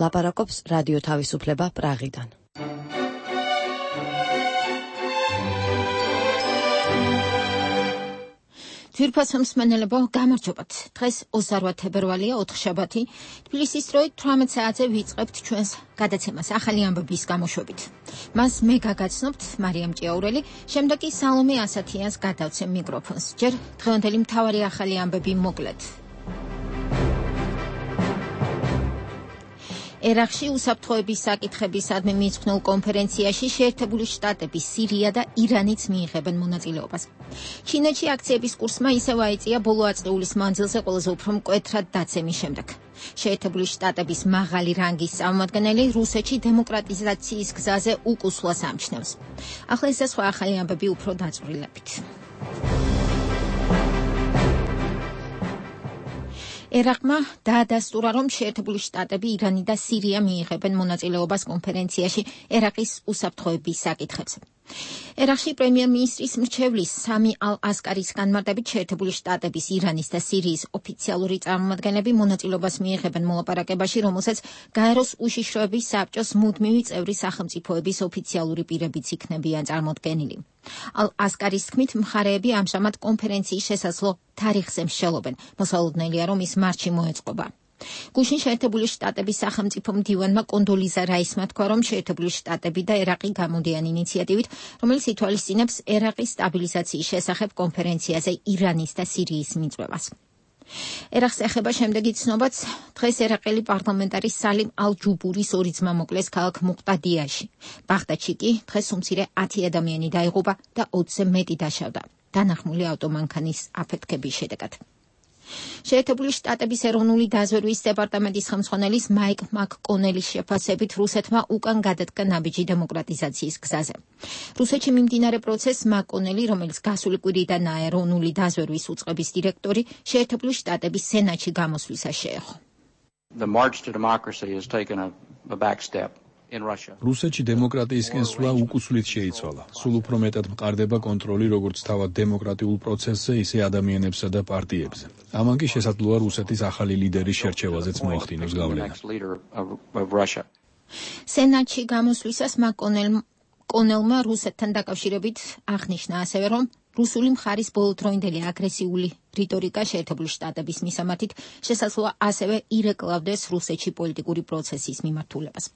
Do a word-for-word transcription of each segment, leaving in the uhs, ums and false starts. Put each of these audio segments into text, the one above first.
ლაპარაკობს რადიო თავისუფლება პრაღიდან. ძვირფასო მსმენელებო, გამარჯობათ. დღეს ოცდაოთხი თებერვალია, ოთხშაბათი. თბილისის დროით თვრამეტ საათზე ვიწყებთ ჩვენს გადაცემას ახალი ამბების გამოშვებით. მას მე გაგაცნობთ მარიამ ჭიაურელი, შემდეგ კი სალომე ასათიანს გადავცემ მიკროფონს. ჯერ დღევანდელი მთავარი ახალი ამბები მოკლედ. ერაყში უსაფრთხოების საკითხებისადმი მიძღვნილ კონფერენციაში შეერთებული შტატები, სირია და ირანიც მიიღებენ მონაწილეობას. ჩინეთში აქციების კურსმა ისევ აიწია ბოლო ათწლეულის მანძილზე ყველაზე უფრო მკვეთრად დაცემის შემდეგ. შეერთებული შტატების მაღალი რანგის წარმომადგენელი რუსეთში დემოკრატიზაციის გზაზე უკუსლას ამჩნევს. ახლა ეს და სხვა ახალი ამბები უფრო დაწვრილებით. ერაყმა დაადასტურა, რომ შეერთებული შტატები, ირანი და სირია მიიღებენ მონაწილეობას კონფერენციაში ერაყის უსაფრთხოების საკითხებზე. ერაყში პრემიერ-მინისტრის მრჩევლის სამი ალ-ასკარის განმარტებით შეერთებული შტატების, ირანის და სირიის ოფიციალური წარმომადგენლები მონაწილეობას მიიღებენ მოლაპარაკებაში, რომელსაც გაეროს უშიშროების საბჭოს მუდმივი წევრი სახელმწიფოების ოფიციალური პირებიც იქნებიან წარმოდგენილი. ალ-ასკარის თქმით, მხარეები ამჟამად კონფერენციის შესაძლო თარიღზე მსჯელობენ. მოსალოდნელია, რომ ის მარტში მოეწყობა. გუშინ შეერთებული შტატების სახელმწიფო მდივანმა კონდოლიზა რაისმა თქვა, რომ შეერთებული შტატები და ერაყი გამოდიან ინიციატივით, რომელიც ითვალისწინებს ერაყის სტაბილიზაციის შესახებ კონფერენციაზე ირანის და სირიის მიწვევას. ერაყს ეხება შემდეგი ცნობაც, დღეს ერაყელი პარლამენტარის სალიმ ალ-ჯუბურის ორი ძმა მოკლეს ქალაქ მუყტადიაში. ბაღდადში კი დღეს უმცირე ათი ადამიანი დაიღუპა და ოცზე მეტი დაშავდა. დანახმული ავტომანქანის აფეთქების შედეგად. შეერთებული შტატების ეროვნული დაზვერვის დეპარტამენტის ხელმძღვანელის მაიკ მაკ-კონელის შეფასებით, რუსეთმა უკან გადადგა ნაბიჯი დემოკრატიზაციის გზაზე. რუსეთში მიმდინარე პროცესს მაკ-კონელი, რომელიც გასული კვირიდანაა ეროვნული დაზვერვის უწყების დირექტორი, შეერთებული შტატების სენატში გამოსვლისას შეეხო. The march to democracy has taken a, a back step. რუსეთში დემოკრატიისკენ სვლა უკუსვლით შეიცვალა. სულ უფრო მეტად მყარდება კონტროლი როგორც თავად დემოკრატიულ პროცესზე, ისე ადამიანებსა და პარტიებზე. ამან კი შესაძლოა რუსეთის ახალი ლიდერის შერჩევაზეც მოახდინოს გავლენა. სენატში გამოსვლისას მაკ-კონელმა რუსეთთან დაკავშირებით აღნიშნა ასევე, რომ რუსული მხარის ბოლოდროინდელი აგრესიული რიტორიკა შეერთებული შტატების მისამართით შესაძლოა ასევე ირეკლავდეს რუსეთში პოლიტიკური პროცესის მიმართულებას.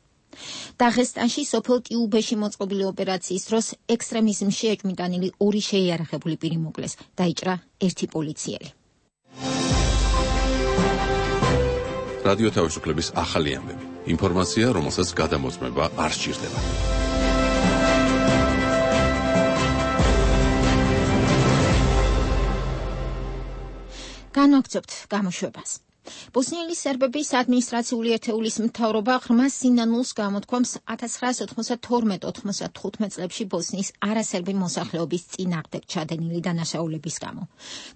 დაღესტანში სოფელ ტიუბეში მოწყობილი ოპერაციის დროს ექსტრემიზმში ეჭვმიტანილი ორი შეიარაღებული პირი მოკლეს, დაიჭრა ერთი პოლიციელი. რადიო თავისუფლების ახალი ამბები. ინფორმაცია, რომელსაც გადამოწმება არ სჭირდება. განვაგრძობთ გამოშვებას. ბოსნიელი სერბების ადმინისტრაციული ერთეულის მთავრობა ღრმა სინანულს გამოთქვამს ათას ცხრაასი ოცდაათორმეტ ოცდათხუთმეტ წლებში ბოსნიის არასერბი მოსახლეობის წინააღმდეგ ჩადენილი დანაშაულების გამო.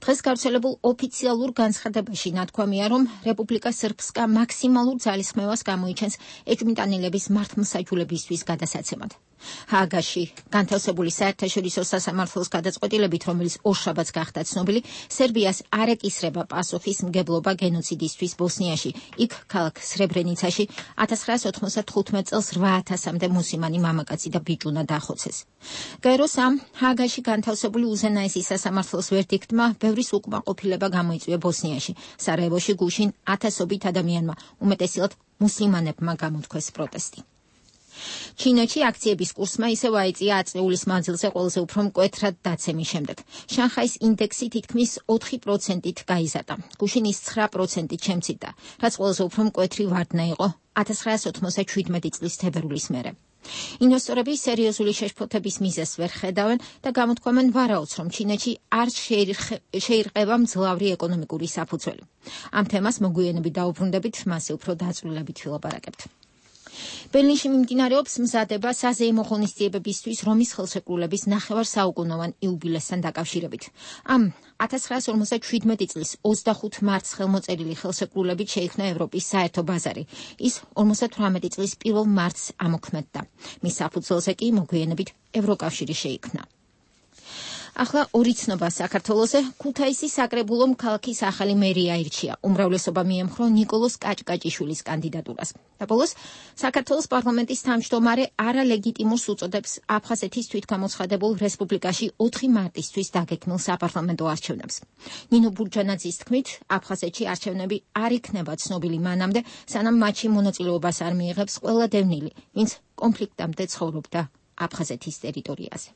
დღეს გავრცელებულ ოფიციალურ განცხადებაში ნათქვამია, რომ რეპუბლიკა სრბსკა მაქსიმალურ ძალისხმევას გამოიჩენს ეჭვმიტანილების მართლმსაჯულებისთვის გადასაცემად. ჰააგაში განთავსებული საერთაშორისო სასამართლოს გადაწყვეტილებით, რომელიც ორშაბათს გახდა ცნობილი, სერბიას არ ეკისრება პასოხის მგებლობა გენოციდისთვის ბოსნიაში. იქ ქალაქ სრებრენიცაში ათას ცხრაასი ოცდათხუთმეტ წელს რვა ათასამდე მუსლიმანი მამაკაცი და ბიჭუნა დახოცეს. გაეროს ამ ჰააგაში განთავსებული უზენაესი სასამართლოს ვერდიქტმა ბევრის უკმაყოფილება გამოიწვია ბოსნიაში. სარაევოში გუშინ ათასობით ადამიანმა, უმეტესად მუსლიმანებმა გამოთქვეს პროტესტი. ჩინეთში აქციების კურსმა ისევ აიწია ათწლეულის მანძილზე ყველაზე უფრო მკვეთრად დაცემის შემდეგ. შანხაის ინდექსი თითქმის ოთხი პროცენტით გაიზარდა. გუშინ ის ცხრა პროცენტით შემცირდა, რაც ყველაზე უფრო მკვეთრი ვარდნა იყო ათას ცხრაასი ოცდაშვიდმეტი წლის თებერვლის მერე. ინვესტორები სერიოზული შეშფოთების მიზეზს ვერ ხედავენ და გამოთქვამენ ვარაუდს, რომ ჩინეთში არ შეირყება მძლავრი ეკონომიკური საფუძველი. ამ თემას მოგვიანებით დაუბრუნდებით, მასზე უფრო დაწვრილებით ვილაპარაკებთ. ბერლინში მიმდინარეობს მზადება საზეიმო ღონისძიებებისთვის რომის ხელშეკრულების ნახევარსაუკუნოვან იუბილესთან დაკავშირებით. ამ ათას ცხრაასი ორმოცდაშვიდმეტი წლის ოცდახუთი მარტს ხელმოწერილი ხელშეკრულებით შეიქმნა ევროპის საერთო ბაზარი. ის ორმოცდათვრამეტი წლის პირველ მარტს ამოქმედდა. მის საფუძველზე კი მოგვიანებით ევროკავშირი შეიქმნა. ახლა ორი ცნობა საქართველოზე. ქუთაისის საკრებულომ ქალაქის ახალი მერი აირჩია. უმრავლესობა მიემხრო ნიკოლოზ კაჭკაჭიშვილის კანდიდატურას. და ბოლოს საქართველოს პარლამენტის თავმჯდომარე არალეგიტიმურს უწოდებს აფხაზეთის თვითგამოცხადებულ რესპუბლიკაში ოთხი მარტისთვის დაგეგმილ საპარლამენტო არჩევნებს. ნინო ბურჯანაძის თქმით, აფხაზეთში არჩევნები არ იქნება ცნობილი მანამდე, სანამ მათში მონაწილეობას არ მიიღებს ყველა დევნილი, ვინც კონფლიქტამდე ცხოვრობდა აფხაზეთის ტერიტორიაზე.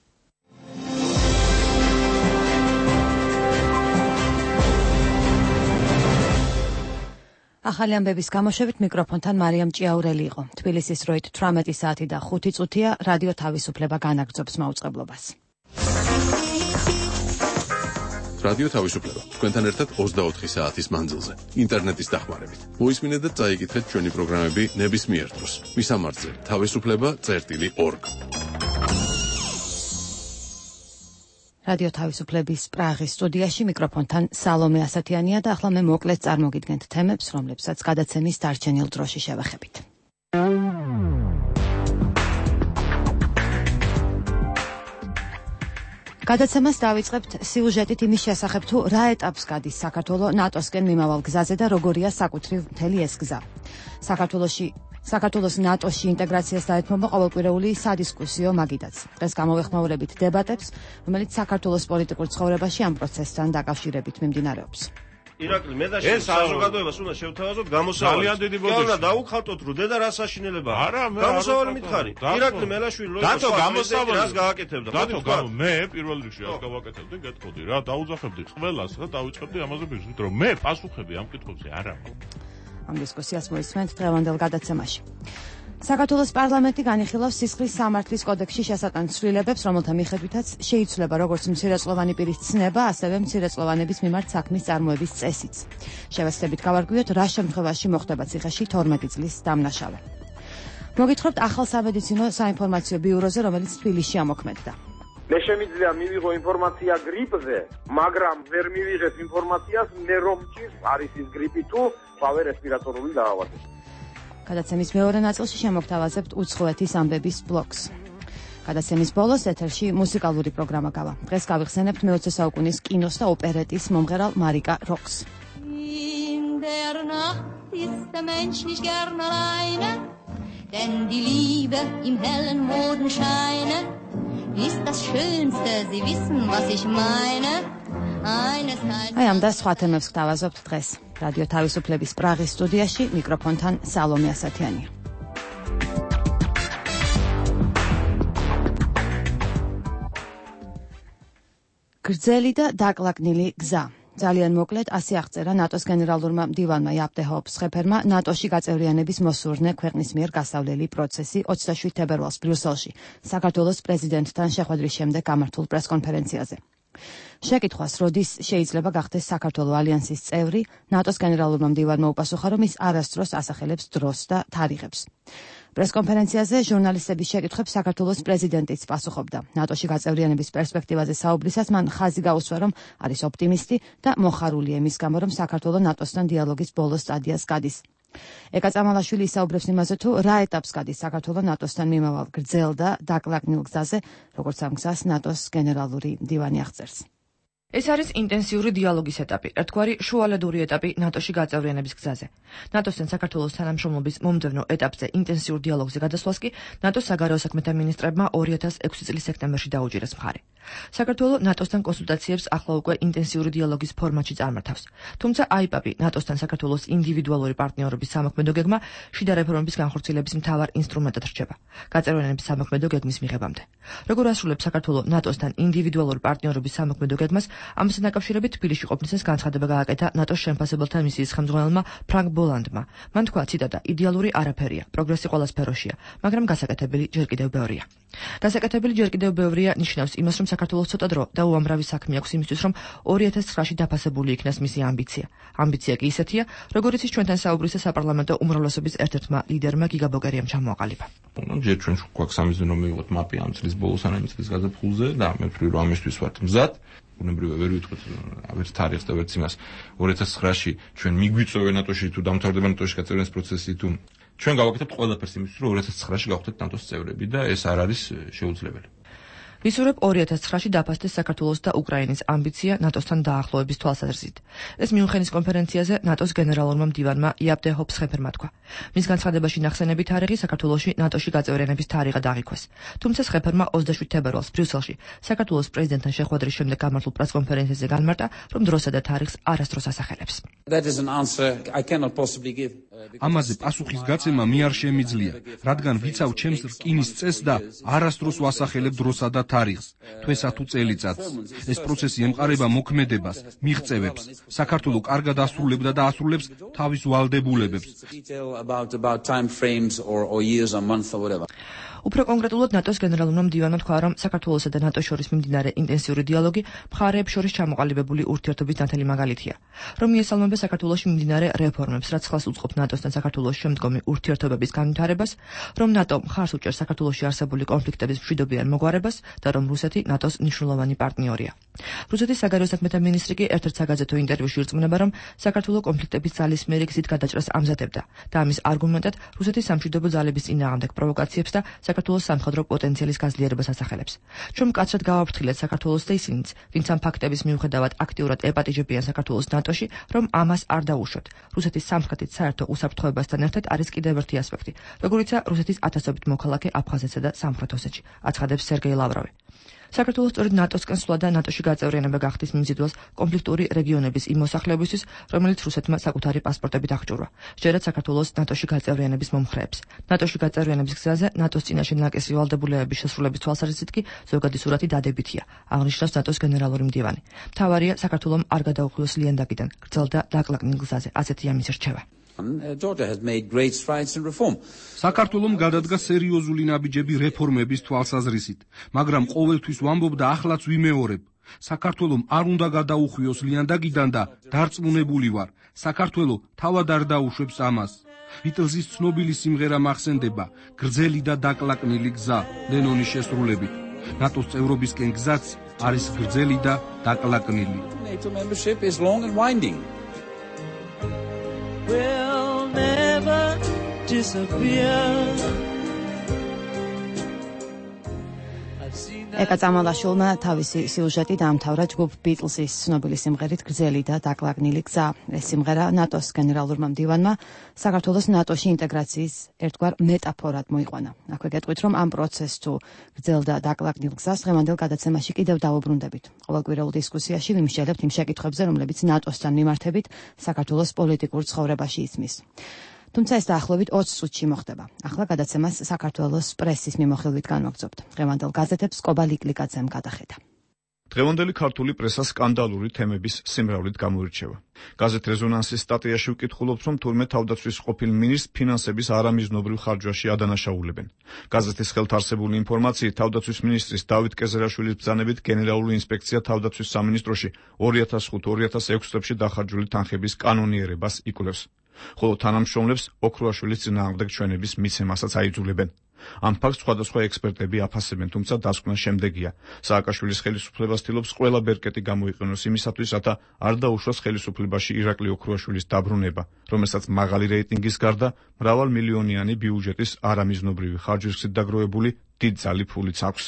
ახალი ამბების გამოშვებით მიკროფონთან მარიამ ჭიაურელი იყო. თბილისის დროით თვრამეტი საათი და ხუთი წუთია. რადიო თავისუფლება განაგრძობს მაუწყებლობას. რადიო თავისუფლება თქვენთან ერთად ოცდაოთხი საათის მანძილზე ინტერნეტის დახმარებით. მოისმინეთ და წაიკითხეთ ჩვენი პროგრამები ნებისმიერ დროს. მისამართზე თავისუფლება წერტილი ორგ. რადიო თავისუფლების პრაღის სტუდიაში მიკროფონთან სალომე ასათიანია და ახლა მე მოკლედ წარმოგიდგენთ თემებს, რომლებსაც გადაცემის დარჩენილ დროში შევეხებით. გადაცემას დავიწყებთ სიუჟეტით იმის შესახებ, თუ რა ეტაპს გადის საქართველო ნატოსკენ მიმავალ გზაზე და როგორია საკუთრივ მთელი ეს გზა. საქართველოში საქართველოს ნატოში ინტეგრაციას დაეთმობა ყოველკვირეული სადისკუსიო მაგიდაც. დღეს გამოვეხმაურებით დებატებს, რომელიც საქართველოს პოლიტიკურ ცხოვრებაში ამ პროცესთან დაკავშირებით მიმდინარეობს. ირაკლი, მე და შენ საზოგადოებას უნდა შევთავაზოთ გამოსავალი. ძალიან დიდი ბოდიში. და დაუხალტოთ რო დედა რა საშინელება. არა, მე გამოსავალი მითხარი. ირაკლი მელაშვილი რო იყო გამოსავალი რას გააკეთებდა? დათო გამო მე პირველ რიგში რას გავაკეთებდი, გეტყოდი რა, დაუძახებდი ყველას და დავიწყებდი ამაზე ბიზნესს, რომ მე პასუხები ამ კითხვებზე არ აქვს. ამ დისკუსიას მოისმენთ დღევანდელ გადაცემაში. საქართველოს პარლამენტი განიხილავს სისხლის სამართლის კოდექსში შესატან ცვლილებებს, რომელთა მიხედვითაც შეიცვლება როგორც მცირეწლოვანი პირის ცნება, ასევე მცირეწლოვანების მიმართ საქმის წარმოების წესიც. შევეცდებით გავარკვიოთ, რა შემთხვევაში მოხდება ციხეში თორმეტი წლის დამნაშავე. მოგითხრობთ ახალ სამედიცინო საინფორმაციო ბიუროზე, რომელიც თბილისში ამოქმედდა. მე შემიძლია მივიღო ინფორმაცია გრიპზე, მაგრამ ვერ მივიღებ ინფორმაციას მე რომ ჭირს არის ის გრიპი თუ ფავე რესპირატორული დაავადება. გადაცემის მეორე ნაწილში შემოგთავაზებთ უცხოეთის ამბების ბლოკს. გადაცემის ბოლოს ეთერში მუსიკალური პროგრამა გავა. დღეს გავიხსენებთ მეოცე საუკუნის კინოს და ოპერეტის მომღერალ მარიკა როქს. In der Nacht ist der Mensch nicht gern alleine, denn die Liebe im hellen Mondenscheine ist das Schönste, Sie wissen, was ich meine. აი ამ და სხვა თემებს გთავაზობთ დღეს. რადიო თავისუფლების პრაღის სტუდიაში მიკროფონთან სალომე ასათიანია. გრძელი და დაკლაკნილი გზა. ძალიან მოკლედ ასე აღწერა ნატოს გენერალურმა მდივანმა იაპ დე ჰოპ სხეფერმა ნატოში გაწევრიანების მოსურნე ქვეყნის მიერ გასავლელი პროცესი ოცდაშვიდ თებერვალს ბრიუსელში საქართველოს პრეზიდენტთან შეხვედრის შემდეგ გამართულ პრესკონფერენციაზე. შეკითხვას, როდის შეიძლება გახდეს საქართველოს ალიანსის წევრი, ნატოს გენერალურმა მდივანმა უპასუხა, რომ ის არასდროს ასახელებს დროს და თარიღებს. პრესკონფერენციაზე ჟურნალისტების შეკითხვებს საქართველოს პრეზიდენტიც პასუხობდა. ნატოში გაწევრიანების პერსპექტივაზე საუბრისას მან ხაზი გაუსვა, რომ არის ოპტიმისტი და მოხარულია იმის გამო, რომ საქართველოს ნატოსთან დიალოგის ბოლო სტადიას გადის. ეკა წამალაშვილი ისაუბრებს იმაზე, თუ რა ეტაპს გადის საქართველოს ნატოსთან მიმავალ გრძელ და დაკლაკნილ გზაზე, როგორც ამ გზას ნატოს გენერალური მდივანი აღწერს. ეს არის ინტენსიური დიალოგის ეტაპი, ერთგვარი შუალედური ეტაპი ნატოში გაწევრიანების გზაზე. ნატოსთან საქართველოს თანამშრომლობის მომდევნო ეტაპზე ინტენსიურ დიალოგზე გადასვლას კი ნატოს საგარეო საქმეთა მინისტრებმა ორი ათას ექვსი წლის სექტემბერში დაუჭირეს მხარი. საქართველოს ნატოსთან კონსულტაციებს ახლა უკვე ინტენსიური დიალოგის ფორმატში წარმართავს. თუმცა აიპაპი ნატოსთან საქართველოს ინდივიდუალური პარტნიორობის სამოქმედო გეგმა შიდა რეფორმების განხორციელების მთავარ ინსტრუმენტად რჩება. გაწევრიანების სამოქმედო გეგმის მიღებამდე. როგორ ასრულებს საქართველოს ნატოსთან ინდივიდუალური პარტნიორობის სამოქმედო გეგმას, ამასთან დაკავშირებით თბილისში ყოფნისას განცხადება გააკეთა ნატოს შემფასებელთა მისიის ხელმძღვანელმა ფრანკ ბოლანდმა. მან თქვა, ციტატა, იდეალური არაფერია, პროგრესი ყველა სფეროშია, მაგრამ გასაკეთებელი ჯერ კიდევ ბევრია. გასაკეთებელი ჯერ კიდევ ბევრია ნიშნავს იმას, რომ საქართველოს ცოტა დრო და უამრავი საქმე აქვს იმისთვის, რომ ორი ათას ცხრაში დაფასებული იქნას მისი ამბიცია. ამბიცია კი ისეთია, როგორიც ის ჩვენთან საუბრისას საპარლამენტო უმრავლესობის ერთ-ერთმა ლიდერმა გიგა ბოგერიამ ჩამოაყალიბა. ჯერ ჩვენ გვაქვს სამიზნე რომ მივიღოთ მაპი ამ წლის ბოლოს ან ამ წლის გაზაფხულზე და მე ვფიქრობ რომ ამისთვის ვართ მზად. უნებრივია ვერ ვიტყვით ვერც თარიღს და ვერც იმას ორი ათას ცხრაში ჩვენ მიგვიწოვე ნატოში თუ დამთავრდება ნატოში გაწევრიანების პროცესი თუ ჩვენ გავაკეთებთ ყველაფერს იმისთვის რომ ორი ათას ცხრაში გავხდეთ ნატოს წევრები და ეს არ არის შეუძლებელი. ვისურვებ ორი ათას ცხრაში დაფასდეს საქართველოს და უკრაინის ამბიცია ნატოსთან დაახლოების თვალსაზრისით. ეს მიუნხენის კონფერენციაზე ნატოს გენერალურმა მდივანმა იაპტე ჰოფსხეფერმა თქვა. მის განცხადებაში ნახსენები თარიღი საქართველოში ნატოში გაწევრიანების თარიღად აღიქვეს. თუმცა სხეფერმა ოცდაშვიდ თებერვალს ბრიუსელში საქართველოს პრეზიდენტთან შეხვედრის შემდეგ გამართულ პრესკონფერენციაზე განმარტა, რომ დროსა და თარიღს არასდროს ასახელებს. ამაზე პასუხის გაცემა მე არ შემიძლია, რადგან ვიცავ ჩემს რკინის წესს და არასდროს ვასახელებ დროსა და თარიღს, თვესა თუ წელიწადს. ეს პროცესი ემყარება მოქმედებას, მიღწევებს. საქართველო კარგად ასრულებდა და ასრულებს თავის ვალდებულებებს. უფრო კონკრეტულად ნატოს გენერალურმა მდივანმა თქვა, რომ საქართველოსა და ნატოს შორის მიმდინარე ინტენსიური დიალოგი მხარეებს შორის ჩამოყალიბებული ურთიერთობის ნათელი მაგალითია, რომ მიესალმება საქართველოში მიმდინარე რეფორმებს, რაც ხელს უწყობს ნატოსთან საქართველოს შემდგომი ურთიერთობების განვითარებას, რომ ნატო მხარს უჭერს საქართველოში არსებული კონფლიქტების მშვიდობიან მოგვარებას და რომ რუსეთი ნატოს მნიშვნელოვანი პარტნიორია. რუსეთის საგარეო საქმეთა მინისტრი კი ერთ-ერთ საგაზეთო ინტერვიუში ირწმუნება, რომ საქართველო კონფლიქტების ძალისმიერი გზით გადაჭრას ამზადებდა და ამის არგუმენტად რუსეთის სამშვიდობო ძალების წინააღმდეგ პროვოკაციებს და საქართველოს სამხედრო პოტენციალის გაძლიერებას ასახელებს. ჩვენ მკაცრად გავაფრთხილეთ საქართველოს და ისინიც, ვინც ამ ფაქტების მიუხედავად აქტიურად ეპატიჟებიან საქართველოს ნატოში, რომ ამას არ დაუშვათ. რუსეთის სამხრეთით საერთო უსაფრთხოებასთან ერთად არის კიდევ ერთი ასპექტი, როგორიცაა რუსეთის ათასობით მოქალაქე აფხაზეთსა და სამხრეთ ოსეთში, აცხადებს სერგეი ლავროვი. საქართველოს სწორედ ნატოსკენ სვლა და ნატოში გაწევრიანება გახდის მიმზიდველს კონფლიქტური რეგიონების იმ მოსახლეობისთვის, რომელიც რუსეთმა საკუთარი პასპორტებით აღჭურვა. ჯერაც საქართველოს ნატოში გაწევრიანების მომხრეებს. ნატოში გაწევრიანების გზაზე ნატოს წინაშე ნაკისი ვალდებულებების შესრულების თვალსაზრისით კი ზოგადი სურათი დადებითია, აღნიშნავს ნატოს გენერალური მდივანი. მთავარია საქართველოს არ გადაუხვიოს ლიანდაგიდან, გრძელ და დაკლაკნილ გზაზე, ასეთი ამის რჩევა. საქართველომ გადადგა სერიოზული ნაბიჯები რეფორმების თვალსაზრისით, მაგრამ ყოველთვის ვამბობ და ახლაც ვიმეორებ. საქართველომ არ უნდა გადაუხვიოს ლიანდაგიდან და დარწმუნებული ვარ, საქართველო თავად არ დაუშვებს ამას. ბიტლზის ცნობილი სიმღერა მახსენდება, გრძელი და დაკლაკნილი გზა, ლენონის შესრულებით. ნატოს წევრობისკენ გზაც არის გრძელი და დაკლაკნილი. Will never disappear. ეკა წამალაშვილმა თავისი სიუჟეტი დაამთავრა ჯგუფ ბიტლზის ცნობილი სიმღერით გრძელი და დაკლაკნილი გზა. ეს სიმღერა ნატოს გენერალურმა მდივანმა საქართველოს ნატოში ინტეგრაციის ერთგვარ მეტაფორად მოიყვანა. აქვე გეტყვით, რომ ამ პროცესს თუ გრძელ და დაკლაკნილ გზას დღევანდელ გადაცემაში კიდევ დავუბრუნდებით. ყოველკვირეულ დისკუსიაში ვიმსჯელებთ იმ შეკითხვებზე, რომლებიც ნატოსთან მიმართებით საქართველოს პოლიტიკურ ცხოვრებაში ისმის. თუმცა ეს დაახლოებით ოცი წუთში მოხდება. ახლა გადაცემას საქართველოს პრესის მიმოხილვით განვაგრძობთ. დღევანდელ გაზეთებს კობა ლიკლიკაძემ გადახედა. დღევანდელი ქართული პრესა სკანდალური თემების სიმრავლით გამოირჩევა. გაზეთ რეზონანსის სტატიაში ვკითხულობთ, რომ თურმე თავდაცვის ყოფილ მინისტრს ფინანსების არამიზნობრივ ხარჯვაში ადანაშაულებენ. გაზეთის ხელთ არსებული ინფორმაციით, თავდაცვის მინისტრის დავით კეზერაშვილის ბრძანებით გენერალური ინსპექცია თავდაცვის სამინისტროში ორი ათას ხუთი ორი ათას ექვსი წლებში დახარჯული თანხების კანონიერებას იკვლევს. ხოლო თანამშრომლებს ოქროაშვილის წინააღმდეგ ჩვენების მიცემასაც აიძულებენ. ამ ფაქტს სხვადასხვა ექსპერტები აფასებენ, თუმცა დასკვნა შემდეგია. სააკაშვილის ხელისუფლებას ცდილობს ყველა ბერკეტი გამოიყენოს იმისათვის, რათა არ დაუშვას ხელისუფლებაში ირაკლი ოქროაშვილის დაბრუნება, რომელსაც მაღალი რეიტინგის გარდა მრავალმილიონიანი ბიუჯეტის არამიზნობრივი ხარჯვის გზით დაგროვებული დიდ ძალი ფულიც აქვს.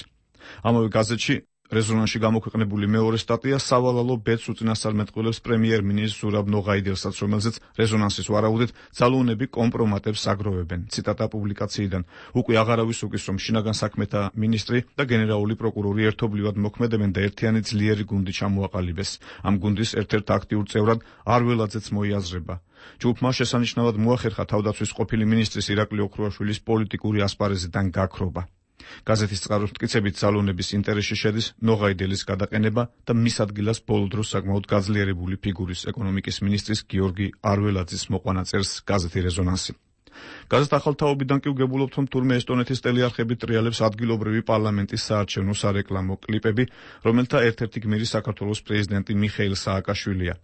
ამავე გაზეთში რეზონანსში გამოქვეყნებული მეორე სტატია სავალალო ბედს უწინასწარმეტყველებს პრემიერ-მინისტრ ზურაბ ნოღაიდელსაც, რომელზეც რეზონანსის ვარაუდით ძალოუნები კომპრომატებს აგროვებენ. ციტატა პუბლიკაციიდან. უკვე აღარავის უკის, რომ შინაგან საქმეთა მინისტრი და გენერალური პროკურორი ერთობლივად მოქმედებენ და ერთიანი ძლიერი გუნდი ჩამოაყალიბეს. ამ გუნდის ერთ-ერთ აქტიურ წევრად არველაძეც მოიაზრება. ჯგუფმა შესანიშნავად მოახერხა თავდაცვის ყოფილი მინისტრის ირაკლი ოქროაშვილის პოლიტიკური ასპარეზიდან გაქრობა. გაზეთის წყაროს მტკიცებით ძალონების ინტერესში შედის ნოღაიდელის გადაყენება და მის ადგილას ბოლო დროს საკმაოდ გაძლიერებული ფიგურის ეკონომიკის მინისტრის გიორგი არველაძის მოყვანა წერს გაზეთი რეზონანსი. გაზეთ ახალთაობიდან კი ვგებულობთ, რომ თურმე ესტონეთის ტელეარხები ტრიალებს ადგილობრივი პარლამენტის საარჩევნო სარეკლამო კლიპები, რომელთა ერთ-ერთი გმირი საქართველოს პრეზიდენტი მიხეილ სააკაშვილია.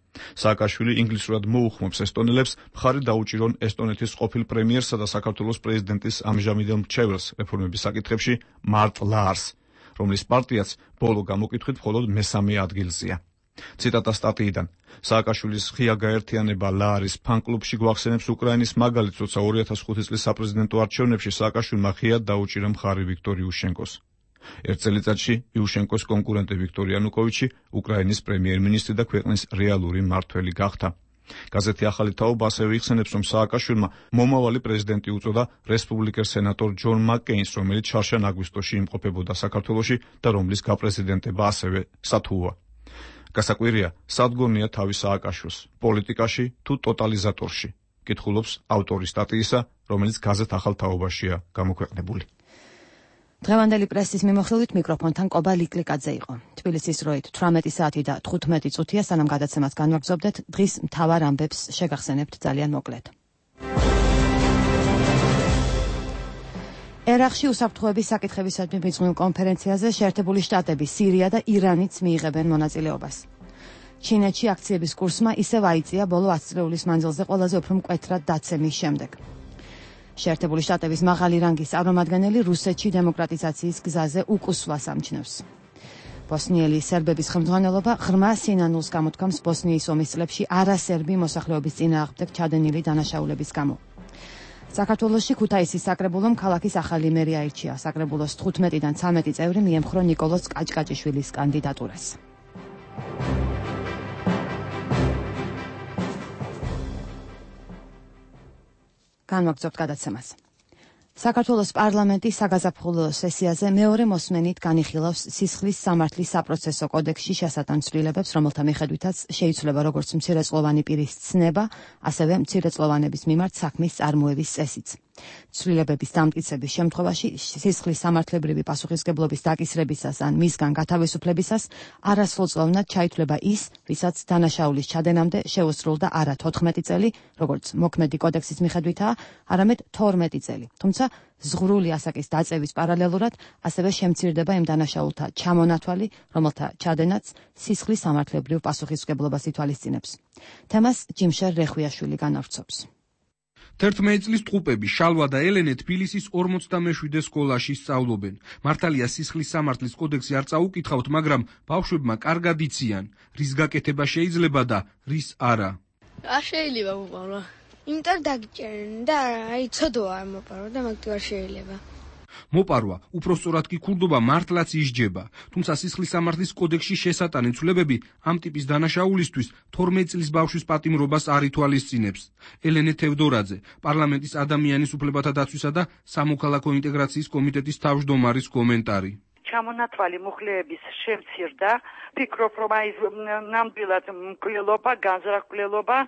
სააკაშვილი ინგლისურად მოუხმობს ესტონელებს მხარი დაუჭირონ ესტონეთის ყოფილ პრემიერსა და საქართველოს პრეზიდენტის ამჟამინდელ მრჩეველს რეფორმების საკითხებში მარტ ლაარს, რომლის პარტიაც ბოლო გამოკითხვით მხოლოდ მესამე ადგილზეა. ციტატა სტატიიდან. სააკაშვილის ღია გაერთიანება ლაარის ფან-კლუბში გვახსენებს უკრაინის მაგალითს, როცა ორი ათას ხუთი წლის საპრეზიდენტო არჩევნებში სააკაშვილმა ღიად დაუჭირა მხარი ვიქტორ იუშენკოს. ერთ წელიწადში იუშენკოს კონკურენტი ვიქტორ იანუკოვიჩი უკრაინის პრემიერ-მინისტრი და ქვეყნის რეალური მმართველი გახდა. გაზეთი ახალი თაობა ასევე იხსენებს, რომ სააკაშვილმა მომავალი პრეზიდენტი უწოდა რესპუბლიკელ სენატორ ჯონ მაკკეინს, რომელიც შარშან აგვისტოში იმყოფებოდა საქართველოში და რომლის გაპრეზიდენტება ასევე სათუოა. გასაკვირია, სადგურნია თავი სააკაშვილს, პოლიტიკაში თუ ტოტალიზატორში, კითხულობს ავტორი სტატიისა, რომელიც გაზეთ ახალ თაობაშია გამოქვეყნებული. დღევანდელი პრესის მიმოხილვით მიკროფონთან კობა ლიკლიკაძე იყო. თბილისის დროით თვრამეტი საათი და თხუთმეტი წუთია, სანამ გადაცემას განვაგრძობდეთ, დღის მთავარ ამბებს შეგახსენებთ ძალიან მოკლედ. ერაყში უსაფრთხოების საკითხებისადმი მიძღვნილ კონფერენციაზე შეერთებული შტატები, სირია და ირანიც მიიღებენ მონაწილეობას. ჩინეთში აქციების კურსმა ისევ აიწია ბოლო ათი წლეულის მანძილზე ყველაზე უფრო მკვეთრად დაცემის შემდეგ. შეერთებული შტატების მაღალი რანგის წარმომადგენელი რუსეთში დემოკრატიზაციის გზაზე უკუსვლას ამჩნევს. ბოსნიელი სერბების ხელმძღვანელობა ღრმა სინანულს გამოთქვამს ბოსნიის ომის წლებში არასერბი მოსახლეობის წინააღმდეგ ჩადენილი დანაშაულების გამო. საქართველოში ქუთაისის საკრებულომ ქალაქის ახალი მერი აირჩია. საკრებულოს თხუთმეტიდან ცამეტი წევრი მიემხრო ნიკოლოზ კაჭკაჭიშვილის კანდიდატურას. განვაგრძობთ გადაცემას. საქართველოს პარლამენტის საგაზაფხულო სესიაზე მეორე მოსმენით განიხილავს სისხლის სამართლის საპროცესო კოდექსში შესატან ცვლილებებს, რომელთა მიხედვითაც შეიცვლება როგორც მცირეწლოვანი პირის ცნება, ასევე მცირეწლოვანების მიმართ საქმის წარმოების წესიც. ცვლილებების დამტკიცების შემთხვევაში სისხლის სამართლებრივი პასუხისგებლობის დაკისრებისას ან მისგან გათავისუფლებისას არასრულწლოვნად ჩაითვლება ის, ვისაც დანაშაულის ჩადენამდე შეუსრულდა არა თოთხმეტი წელი, როგორც მოქმედი კოდექსის მიხედვითაა, არამედ თორმეტი წელი. თუმცა ზღვრული ასაკის დაწევის პარალელურად ასევე შემცირდება იმ დანაშაულთა ჩამონათვალი, რომელთა ჩადენაც სისხლის სამართლებრივ პასუხისმგებლობას ითვალისწინებს. თემას ჯიმშერ რეხვიაშვილი განავრცობს. თერთმეტი წლის ტყუპები შალვა და ელენე თბილისის ორმოცდამეშვიდე სკოლაში სწავლობენ. მართალია სისხლის სამართლის კოდექსი არ წაუკითხავთ, მაგრამ ბავშვებმა კარგად იციან, რის გაკეთება შეიძლება და რის არა. არ შეიძლება მოპარო. იმიტომ დაგიჭერენ და აი ცოდვა არ მოპარო და მაგ არ შეიძლება. მოპარვა, უпроსწორად კი ქურდობა მართლაც ისჯება, თუმცა სისხლის სამართლის კოდექსში შესატანი ცვლილებები ამ ტიპის დანაშაულისთვის თორმეტი წლის ბავშვის პატიმრობას არ ითვალისწინებს. ელენე თევდორაძე, პარლამენტის ადამიანის უფლებათა დაცვისა და სამოქალაქო ინტეგრაციის კომიტეტის თავმჯდომარის კომენტარი. ჩამონათვალი მუხლეების შემცირდა, ფიქრობ რომ აი ნამდვილად მკვლელობა, განზრახულობა,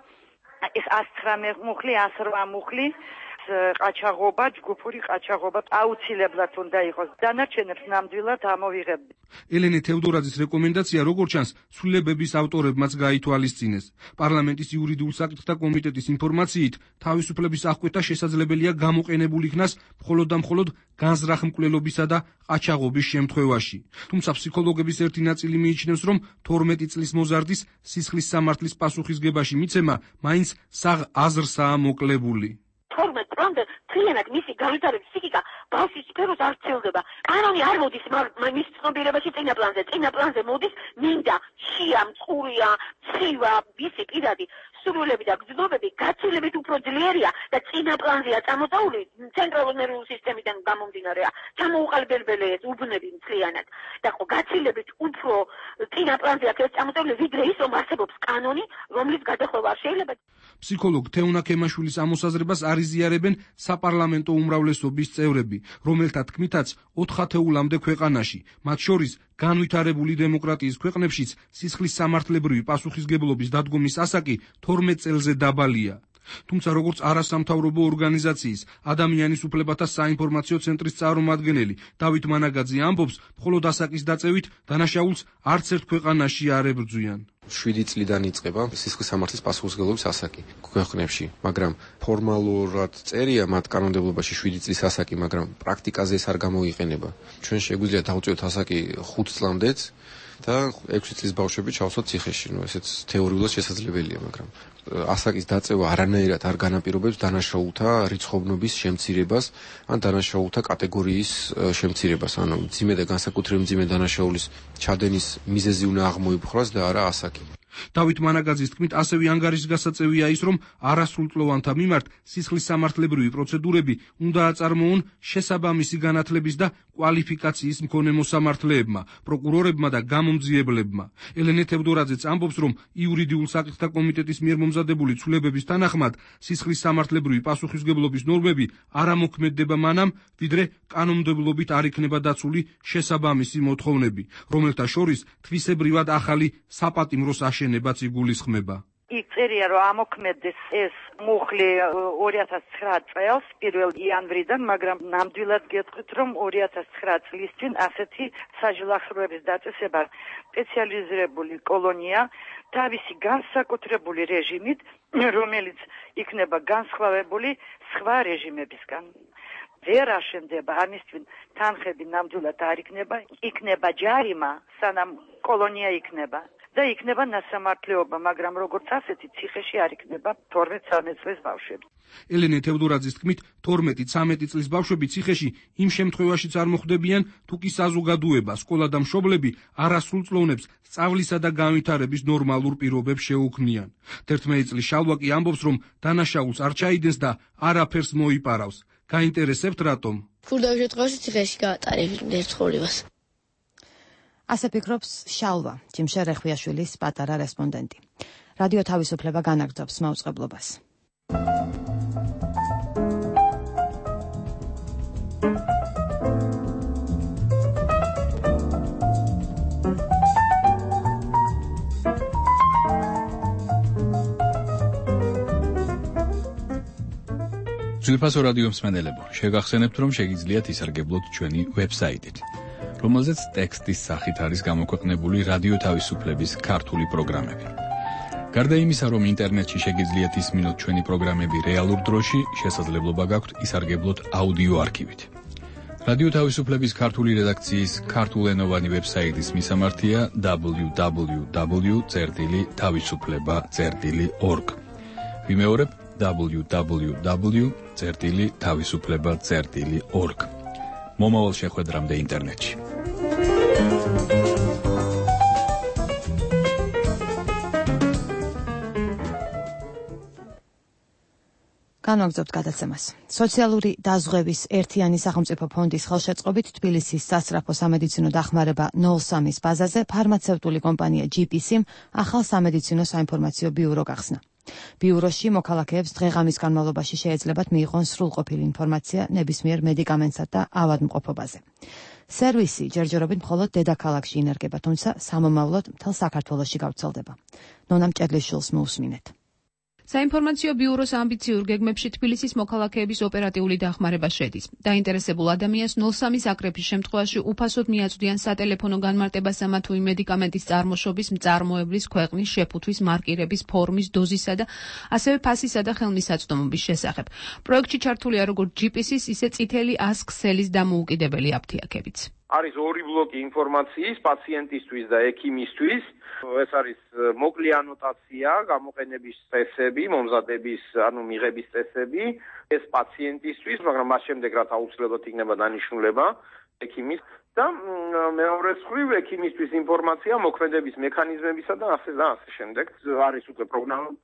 ეს ას ცხრამეტ მუხლი, ას რვა მუხლი ყაჩაღობა, ჯგუფური ყაჩაღობა აუცილებლად უნდა იყოს. დანარჩენებს ნამდვილად ამოვიღებთ. ელენე თევდორაძის რეკომენდაცია, როგორც ჩანს, ცვლილებების ავტორებმაც გაითვალისწინეს. პარლამენტის იურიდიულ საკითხთა კომიტეტის ინფორმაციით, თავისუფლების აღკვეთა შესაძლებელია გამოყენებულ იქნას მხოლოდ და მხოლოდ განზრახმკვლელობისა და ყაჩაღობის შემთხვევაში. თუმცა ფსიქოლოგების ერთი ნაწილი მიიჩნევს, რომ თორმეტი წლის მოზარდის სისხლის სამართლის პასუხისგებაში მიცემა მაინც საღ აზრსაა მოკლებული. თორმეტ წლამდე თლიანად მისი განვითარების ფსიქიკა ბავშვის სფეროს არ ცელდება. კანონი არ მოდის მის ცნობიერებაში წინა პლანზე. წინა პლანზე მოდის მინდა, შია, მწყურია, ცივა, მისი პირადი სურვილები და გრძნობები გაცილებით უფრო ძლიერია და წინა პლანზეა წამოწეული ცენტრალური ნერვული სისტემიდან გამომდინარეა. ჩამოუყალიბებელია უბნები მთლიანად და ხო გაცილებით უფრო წინა პლანზეა ეს წამოწეული ვიდრე ის რომ არსებობს კანონი, რომლის გადახვევა არ შეიძლება. ფსიქოლოგ თეუნა ქემაშვილის ამოსაზრებას არ იზიარებენ საპარლამენტო უმრავლესობის წევრები, რომელთა თქმითაც ოთხ ათეულამდე ქვეყანაში, მათ შორის განვითარებული დემოკრატიის ქვეყნებშიც სისხლის სამართლებრივი პასუხისგებლობის დადგომის ასაკი თორმეტ წელზე დაბალია. თუმცა როგორც არასამთავრობო ორგანიზაციის ადამიანის უფლებათა საინფორმაციო ცენტრის წარმომადგენელი დავით მანაგაძე ამბობს, მხოლოდ ასაკის დაწევით დანაშაულს არც ერთ ქვეყანაში არ ებრძვიან. შვიდი წლიდან იწყება სისხლის სამართლის პასუხისმგებლობის ასაკი ქვეყნებში, მაგრამ ფორმალურად წერია მათ კანონმდებლობაში შვიდი წლის ასაკი, მაგრამ პრაქტიკაზე ეს არ გამოიყენება. ჩვენ შეგვიძლია დავწევთ ასაკი ხუთ წლამდეც და ექვსი წლის ბავშვები ჩავსვათ ციხეში, ну ესეც თეორიულად შესაძლებელია, მაგრამ ასაკის დაწევა არანაირად არ განაპირობებს დანაშაულთა რიცხოვნობის შემცირებას ან დანაშაულთა კატეგორიის შემცირებას, ანუ მძიმე და განსაკუთრებით მძიმე დანაშაულის ჩადენის მიზეზი უნდა აღმოიფხვრას და არა ასაკი. დავით მანაგაძის თქმით, ასევე ანგარიშგასაწევია ის, რომ არასრულწლოვანთა მიმართ სისხლის სამართლებრივი პროცედურები უნდა აწარმოონ შესაბამისი განათლების და კვალიფიკაციის მქონე მოსამართლეებმა, პროკურორებმა და გამომძიებლებმა. ელენე თევდორაძეც ამბობს, რომ იურიდიულ საკითხთა კომიტეტის მიერ მომზადებული ცვლილებების თანახმად სისხლის სამართლებრივი პასუხისმგებლობის ნორმები არ ამოქმედდება მანამ, ვიდრე კანონმდებლობით არ იქნება დაცული შესაბამისი მოთხოვნები, რომელთა შორის თვისებრივად ახალი საპატიმროს აშენებაც იგულისხმება. იქ წერია, რომ ამოქმედდეს ეს მუხლი ორი ათას ცხრა წელს პირველი იანვრიდან, მაგრამ ნამდვილად გეტყვით, რომ ორი ათას ცხრა წლის წინ ასეთი საჯილახშროების დაწესება სპეციალიზირებული კოლონია თავისი განსაკუთრებული რეჟიმით, რომელიც იქნება განსხვავებული სხვა რეჟიმებისგან. ვერ აშენდება, ამისთვის თანხები ნამდვილად არ იქნება, იქნება ჯარიმა, სანამ კოლონია იქნება. და იქნება ნასამართლეობა, მაგრამ როგორც ასეთი ციხეში არ იქნება თორმეტ ცხრამეტ წლის ბავშვები. ელენე თევდორაძის თქმით, თორმეტი ცამეტი წლის ბავშვები ციხეში იმ შემთხვევაშიც არ მოხვდებიან, თუ კი საზოგადოება, სკოლა და მშობლები არასრულწლოვნებს სწავლისა და განვითარების ნორმალურ პირობებს შეუქმნიან. თერთმეტი წლის შალვა კი ამბობს, რომ დანაშაულს არ ჩაიდენს და არაფერს მოიპარავს. გაინტერესებთ რატომ? ფურდავ შემთხვევაში ციხეში გაატარებდნენ ცხოვრებას. ასე ფიქრობს შალვა, ჯიმშე რეხვიაშვილის პატარა რესპონდენტი. რადიო თავისუფლება განაგრძობს მაუწყებლობას. ძვირფასო რადიო მსმენელებო, შეგახსენებთ, რომ შეგიძლიათ ისარგებლოთ ჩვენი ვებსაიტით, რომელზეც ტექსტის სახით არის გამოქვეყნებული რადიო თავისუფლების ქართული პროგრამები. გარდა იმისა, რომ ინტერნეტში შეგიძლიათ ისმინოთ ჩვენი პროგრამები რეალურ დროში, შესაძლებლობა გაქვთ ისარგებლოთ აუდიო არქივით. რადიო თავისუფლების ქართული რედაქციის ქართულენოვანი ვებსაიტის მისამართია დაბლიუ დაბლიუ დაბლიუ წერტილი თავისუფლება წერტილი ორგ. ვიმეორებ დაბლიუ დაბლიუ დაბლიუ წერტილი თავისუფლება წერტილი ორგ. მომავალ შეხვედრამდე ინტერნეტში. განვაგრძობთ გადაცემას. სოციალური დაზღვევის ერთიანი სახელმწიფო ფონდის ხელშეწყობით თბილისის სასწრაფო სამედიცინო დახმარება ნულ სამის ბაზაზე ფარმაცევტული კომპანია ჯი პი სი-მ ახალ სამედიცინო საინფორმაციო ბიურო გახსნა. ბიუროში მოქალაქეებს დღე-ღამის განმავლობაში შეეძლებათ მიიღონ სრულყოფილი ინფორმაცია ნებისმიერ მედიკამენტსა და ავადმყოფობაზე. სერვისი ჯერჯერობით მხოლოდ დედაქალაქში ინერგება, თუმცა სამომავლოდ მთელ საქართველოში გავრცელდება. ნონა მჭედლიშვილს მოусმინეთ. საინფორმაციო ბიუროს ამბიციურ გეგმებში თბილისის მოქალაქეების ოპერატიული დახმარება შედის. დაინტერესებულ ადამიანს ნულ სამის აკრეფის შემთხვევაში უფასოდ მიაწვდიან სატელეფონო განმარტებას ამა თუ იმ მედიკამენტის წარმოშობის, მწარმოებლის, ქვეყნის, შეფუთვის, მარკირების, ფორმის, დოზისა და ასევე ფასისა და ხელმისაწვდომობის შესახებ. პროექტში ჩართულია როგორც ჯი პი სი-ის, ისე წითელი ას ქსელის დამოუკიდებელი აფთიაქებიც. არის ორი ბლოკი ინფორმაციის პაციენტისთვის და ექიმისთვის. ეს არის მოკლე ანოტაცია, გამოყენების წესები, მომზადების, ანუ მიღების წესები, ეს პაციენტისთვის, მაგრამ მას შემდეგ რაც აუცილებლად იქნება დანიშნულება ექიმის და მეორე მხრივ ექიმისთვის ინფორმაცია მოქმედების მექანიზმებისა და ასე და ასე შემდეგ. არის უკვე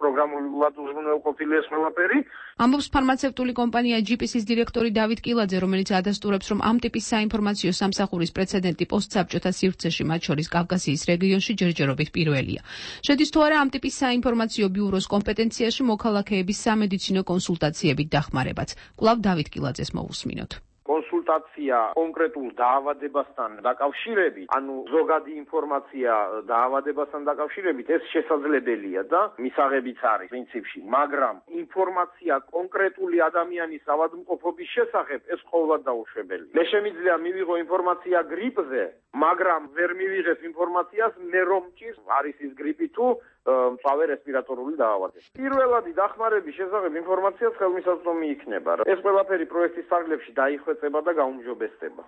პროგრამულად უზრუნველყოფილი ეს ყველაფერი. ამბობს ფარმაცევტული კომპანია ჯი პი სი-ის დირექტორი დავით კილაძე, რომელიც ადასტურებს, რომ ამ ტიპის საინფორმაციო სამსახურის პრეცედენტი პოსტსაბჭოთა სივრცეში, მათ შორის კავკასიის რეგიონში ჯერჯერობით პირველია. შედის თუ არა ამ ტიპის საინფორმაციო ბიუროს კომპეტენციაში მოქალაქეების სამედიცინო კონსულტაციებით დახმარებაც. კვლავ დავით კილაძეს მოусმინოთ. კონსულტაცია კონკრეტულ დაავადებასთან დაკავშირებით, ანუ ზოგადი ინფორმაცია დაავადებასთან დაკავშირებით, ეს შესაძლებელია და მისაღებიც არის პრინციპში, მაგრამ ინფორმაცია კონკრეტული ადამიანის ავადმყოფობის შესახებ ეს ყოველად დაუშვებელია. მე შემიძლია მივიღო ინფორმაცია გრიპზე, მაგრამ ვერ მივიღებ ინფორმაციას მე რომ მჭირს არის ის გრიპი თუ მწვავე რესპირატორული დაავადება. პირველადი დახმარების შესახებ ინფორმაციაც ხელმისაწვდომი იქნება. ეს ყველაფერი პროექტის ფარგლებში დაიხვეწება და გაუმჯობესდება.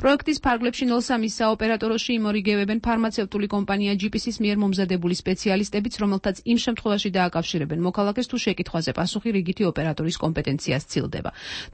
პროექტის ფარგლებში ნულ სამის საოპერატოროში იმორიგებებენ ფარმაცევტული კომპანია ჯი პი სი-ის მიერ მომზადებული სპეციალისტებიც, რომელთაც იმ შემთხვევაში დააკავშირებენ მოქალაქეს თუ შეკითხვაზე პასუხი რიგითი ოპერატორის კომპეტენციას ცილდება.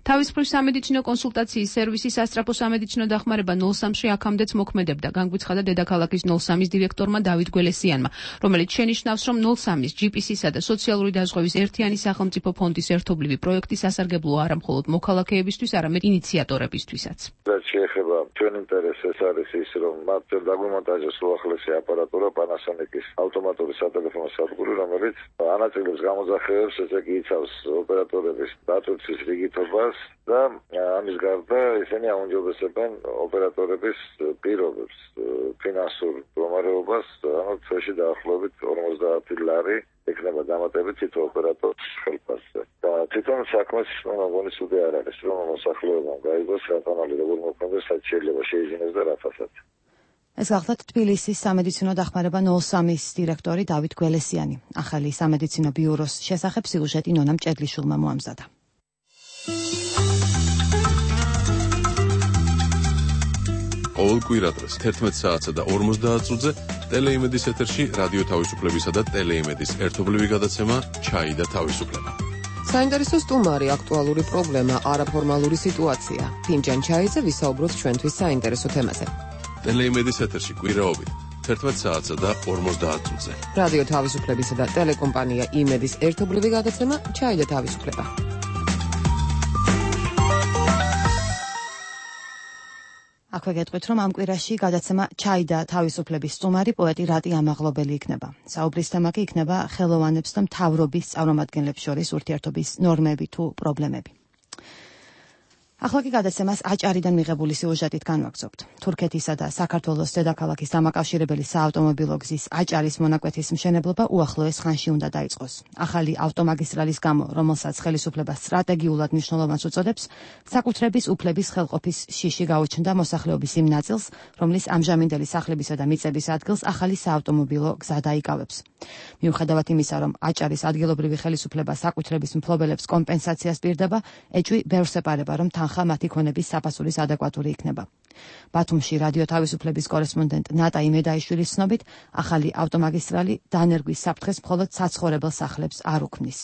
თავის მხრივ სამედიცინო კონსულტაციის სერვისი სასწრაფო სამედიცინო დახმარება ნულ სამში აქამდეც მოქმედებდა, განგვიცხადა დედაქალაქის ნულ სამის დირექტორმა დავით გველესიანმა, რომელიც შენიშნა ნიშნავს, რომ ნულ სამის ჯი პი სი-სა და სოციალური დაზღვევის ერთიანი სახელმწიფო ფონდის ერთობლივი პროექტი სასარგებლოა არა მხოლოდ მოქალაქეებისთვის, არამედ ინიციატორებისთვისაც. რაც შეეხება ჩვენ ინტერესს ეს არის ის, რომ მათ დაგვიმონტაჟეს უახლესი აპარატურა Panasonic-ის ავტომატური სატელეფონო სადგური, რომელიც ანაწილებს გამოძახეებს, ესე იგი იცავს ოპერატორების დატვირთვის რიგითობას და ამის გარდა ისინი აუნჯობესებენ ოპერატორების პირობებს, ფინანსურ მდგომარეობას, ანუ წელში დაახლოებით ორმოცდაათი ლარი ექნება დამატებით თითო ოპერატორის ხელფასზე. და თვითონ საქმეს მოგონის უდე არ არის, რომ მოსახლეობამ გაიგოს რატომ როგორ მოქმედებს, რაც შეიძლება შეიძინოს და რა ფასად. ეს გახლავთ თბილისის სამედიცინო დახმარება ნულ სამის დირექტორი დავით გველესიანი. ახალი სამედიცინო ბიუროს შესახებ სიუჟეტი ნონა მჭედლიშვილმა მოამზადა. ყოველ კვირადღეს თერთმეტ საათსა და ორმოცდაათ წუთზე ტელეიმედის ეთერში რადიო თავისუფლებისა და ტელეიმედის ერთობლივი გადაცემა ჩაი და თავისუფლება. საინტერესო სტუმარი, აქტუალური პრობლემა, არაფორმალური სიტუაცია. ფინჯან ჩაიზე ვისაუბროთ ჩვენთვის საინტერესო თემაზე. ტელეიმედის ეთერში კვირაობით თერთმეტ საათსა და ორმოცდაათ წუთზე. რადიო თავისუფლებისა და ტელეკომპანია იმედის ერთობლივი გადაცემა ჩაი და თავისუფლება. აქვე გეტყვით, რომ ამ კვირაში გადაცემა ჩაი და თავისუფლების სტუმარი პოეტი რატი ამაღლობელი იქნება. საუბრის თემა კი იქნება ხელოვანებს და მთავრობის წარმომადგენლებს შორის ურთიერთობის ნორმები თუ პრობლემები. ახლა კი გადაცემას აჭარიდან მიღებული სიუჟეტით განვაგრძობთ. თურქეთისა და საქართველოს დედაქალაქის დამაკავშირებელი საავტომობილო გზის აჭარის მონაკვეთის მშენებლობა უახლოეს ხანში უნდა დაიწყოს. ახალი ავტომაგისტრალის გამო, რომელსაც ხელისუფლება სტრატეგიულად მნიშვნელოვანს უწოდებს, საკუთრების უფლების ხელყოფის შიში გაუჩნდა მოსახლეობის იმ ნაწილს, რომლის ამჟამინდელი სახლებისა და მიწების ადგილს ახალი საავტომობილო გზა დაიკავებს. მიუხედავად იმისა, რომ აჭარის ადგილობრივი ხელისუფლება საკუთრების მფლობელებს კომპენსაციას პირდება, ეჭვი ბევრს ეპარება, რომ თანხა მათი ქონების საფასურის ადეკვატური იქნება. ბათუმში რადიო თავისუფლების კორესპონდენტ ნატა იმედაიშვილის ცნობით, ახალი ავტომაგისტრალი დანერგვის საფრთხეს მხოლოდ საცხოვრებელ სახლებს არ უქმნის.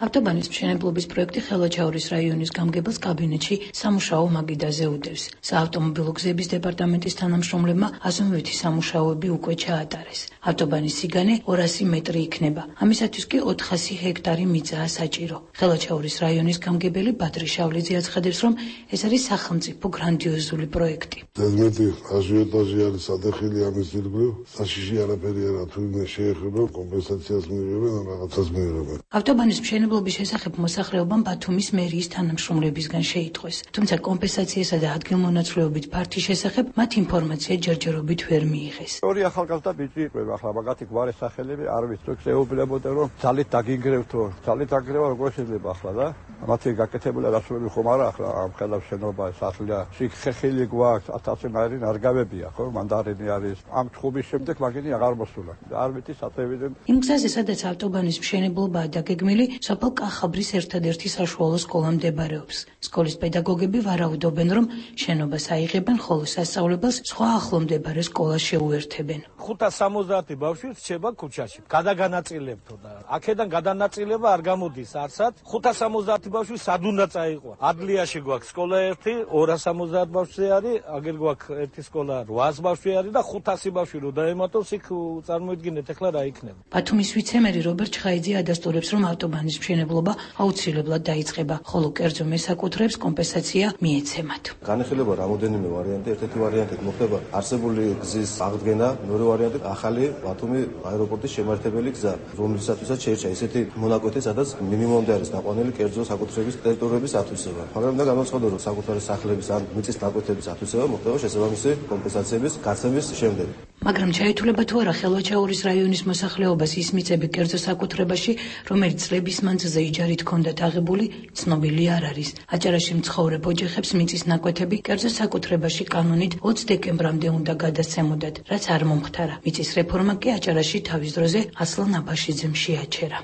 ავტობანის მშენებლობის პროექტი ხელვაჩაურის რაიონის გამგებელს კაბინეტში სამუშაო მაგიდაზე უდევს. საავტომობილო გზების დეპარტამენტის თანამშრომლებმა აზომვითი სამუშაოები უკვე ჩაატარეს. ავტობანის სიგანე ორასი მეტრი იქნება. ამისათვის კი ოთხასი ჰექტარი მიწაა საჭირო. ხელვაჩაურის რაიონის გამგებელი ბადრი შავლიძე აცხადებს, რომ ეს არის სახელმწიფო გრანდიოზული პროექტი. ზედმეტი აჟიოტაჟი არის ადახილი ამის ირგვლივ, საშიში არაფერი არა, თუ იმას შეეხება კომპენსაციას მიიღებენ ან რაღაცას მიიღებენ. ავტობანის მშენებლობის შესახებ მოსახლეობამ ბათუმის მერიის თანამშრომლებისგან შეიტყვეს. თუმცა კომპენსაციასა და ადგილმონაცვლეობით ფართის შესახებ მათ ინფორმაცია ჯერჯერობით ვერ მიიღეს. ორი ახალგაზრდა ბიჭი იყვება, ახლა მაგათი გვარი სახელები არ ვიცი, თუ შეეუბნებოდა რომ ძალით დაგინგრევთო, ძალით დაგინგრევა როგორ შეიძლება ახლა და მათი გაკეთებული რასურები ხომ არა ახლა ამ ხელა შენობა სახლია, შიგ ხეხილი გვაქვს, ათასი მაირი ნარგავებია, ხო, მანდარინი არის. ამ თხობის შემდეგ მაგინი აღარ მოსულა. არ ვიცი საწევიდან. იმ გზაზე, სადაც ავტობანის მშენებლობაა დაგეგმილი, სოფელ კახაბრის ერთადერთი საშუალო სკოლა მდებარეობს. სკოლის პედაგოგები ვარაუდობენ, რომ შენობას აიღებენ, ხოლო სასწავლებელს სხვა ახლო მდებარე სკოლას შეუერთებენ. ხუთას სამოცდაათი ბავშვი რჩება ქუჩაში. გადაგანაწილებთო და აქედან გადანაწილება არ გამოდის არსად. ხუთას სამოცდაათი ბავშვი სად უნდა წაიყო? ადლიაში გვაქვს სკოლა ერთი, ორას სამოცდაათი ბავშვი არის, აგერ გვაქვს ერთი სკოლა რვას ბავშვი არის და ხუთასი ბავშვი რო დაემატოს, იქ წარმოიდგინეთ ახლა რა იქნება. ბათუმის ვიცემერი რობერტ ჩხაიძე ადასტურებს, რომ ავტობანის მშენებლობა აუცილებლად დაიწყება, ხოლო კერძო მესაკუთრეებს კომპენსაცია მიეცემათ. განიხილება რამოდენიმე ვარიანტი, ერთ-ერთი ვარიანტი მოხდება არსებული გზის აღდგენა, მეორე ვარიანტი ახალი ბათუმი აეროპორტის შემართებელი გზა, რომლისათვისაც შეირჩა ისეთი მონაკვეთი, სადაც მინიმუმამდე არის დაყვანილი კერძო საკუთრების ტერიტორიების ათვისება. მაგრამ და გამოცხადო, რომ საკუთარი სახლების ან მიწის ნაკვეთების ათვისება მოხდება შესაბამისი კომპენსაციების გაცემის შემდეგ. მაგრამ ჩაითვლება თუ არა ხელვაჩაურის რაიონის მოსახლეობას ის მიწები კერძო საკუთრებაში, რომელიც წლების მანძილზე იჯარით ჰქონდათ აღებული, ცნობილი არ არის. აჭარაში მცხოვრებ ოჯახებს მიწის ნაკვეთები კერძო საკუთრებაში კანონით ოცი დეკემბრამდე უნდა გადასცემოდათ, რაც არ მომხდარა. მიწის რეფორმა კი აჭარაში თავის დროზე ასლან აბაშიძემ შეაჩერა.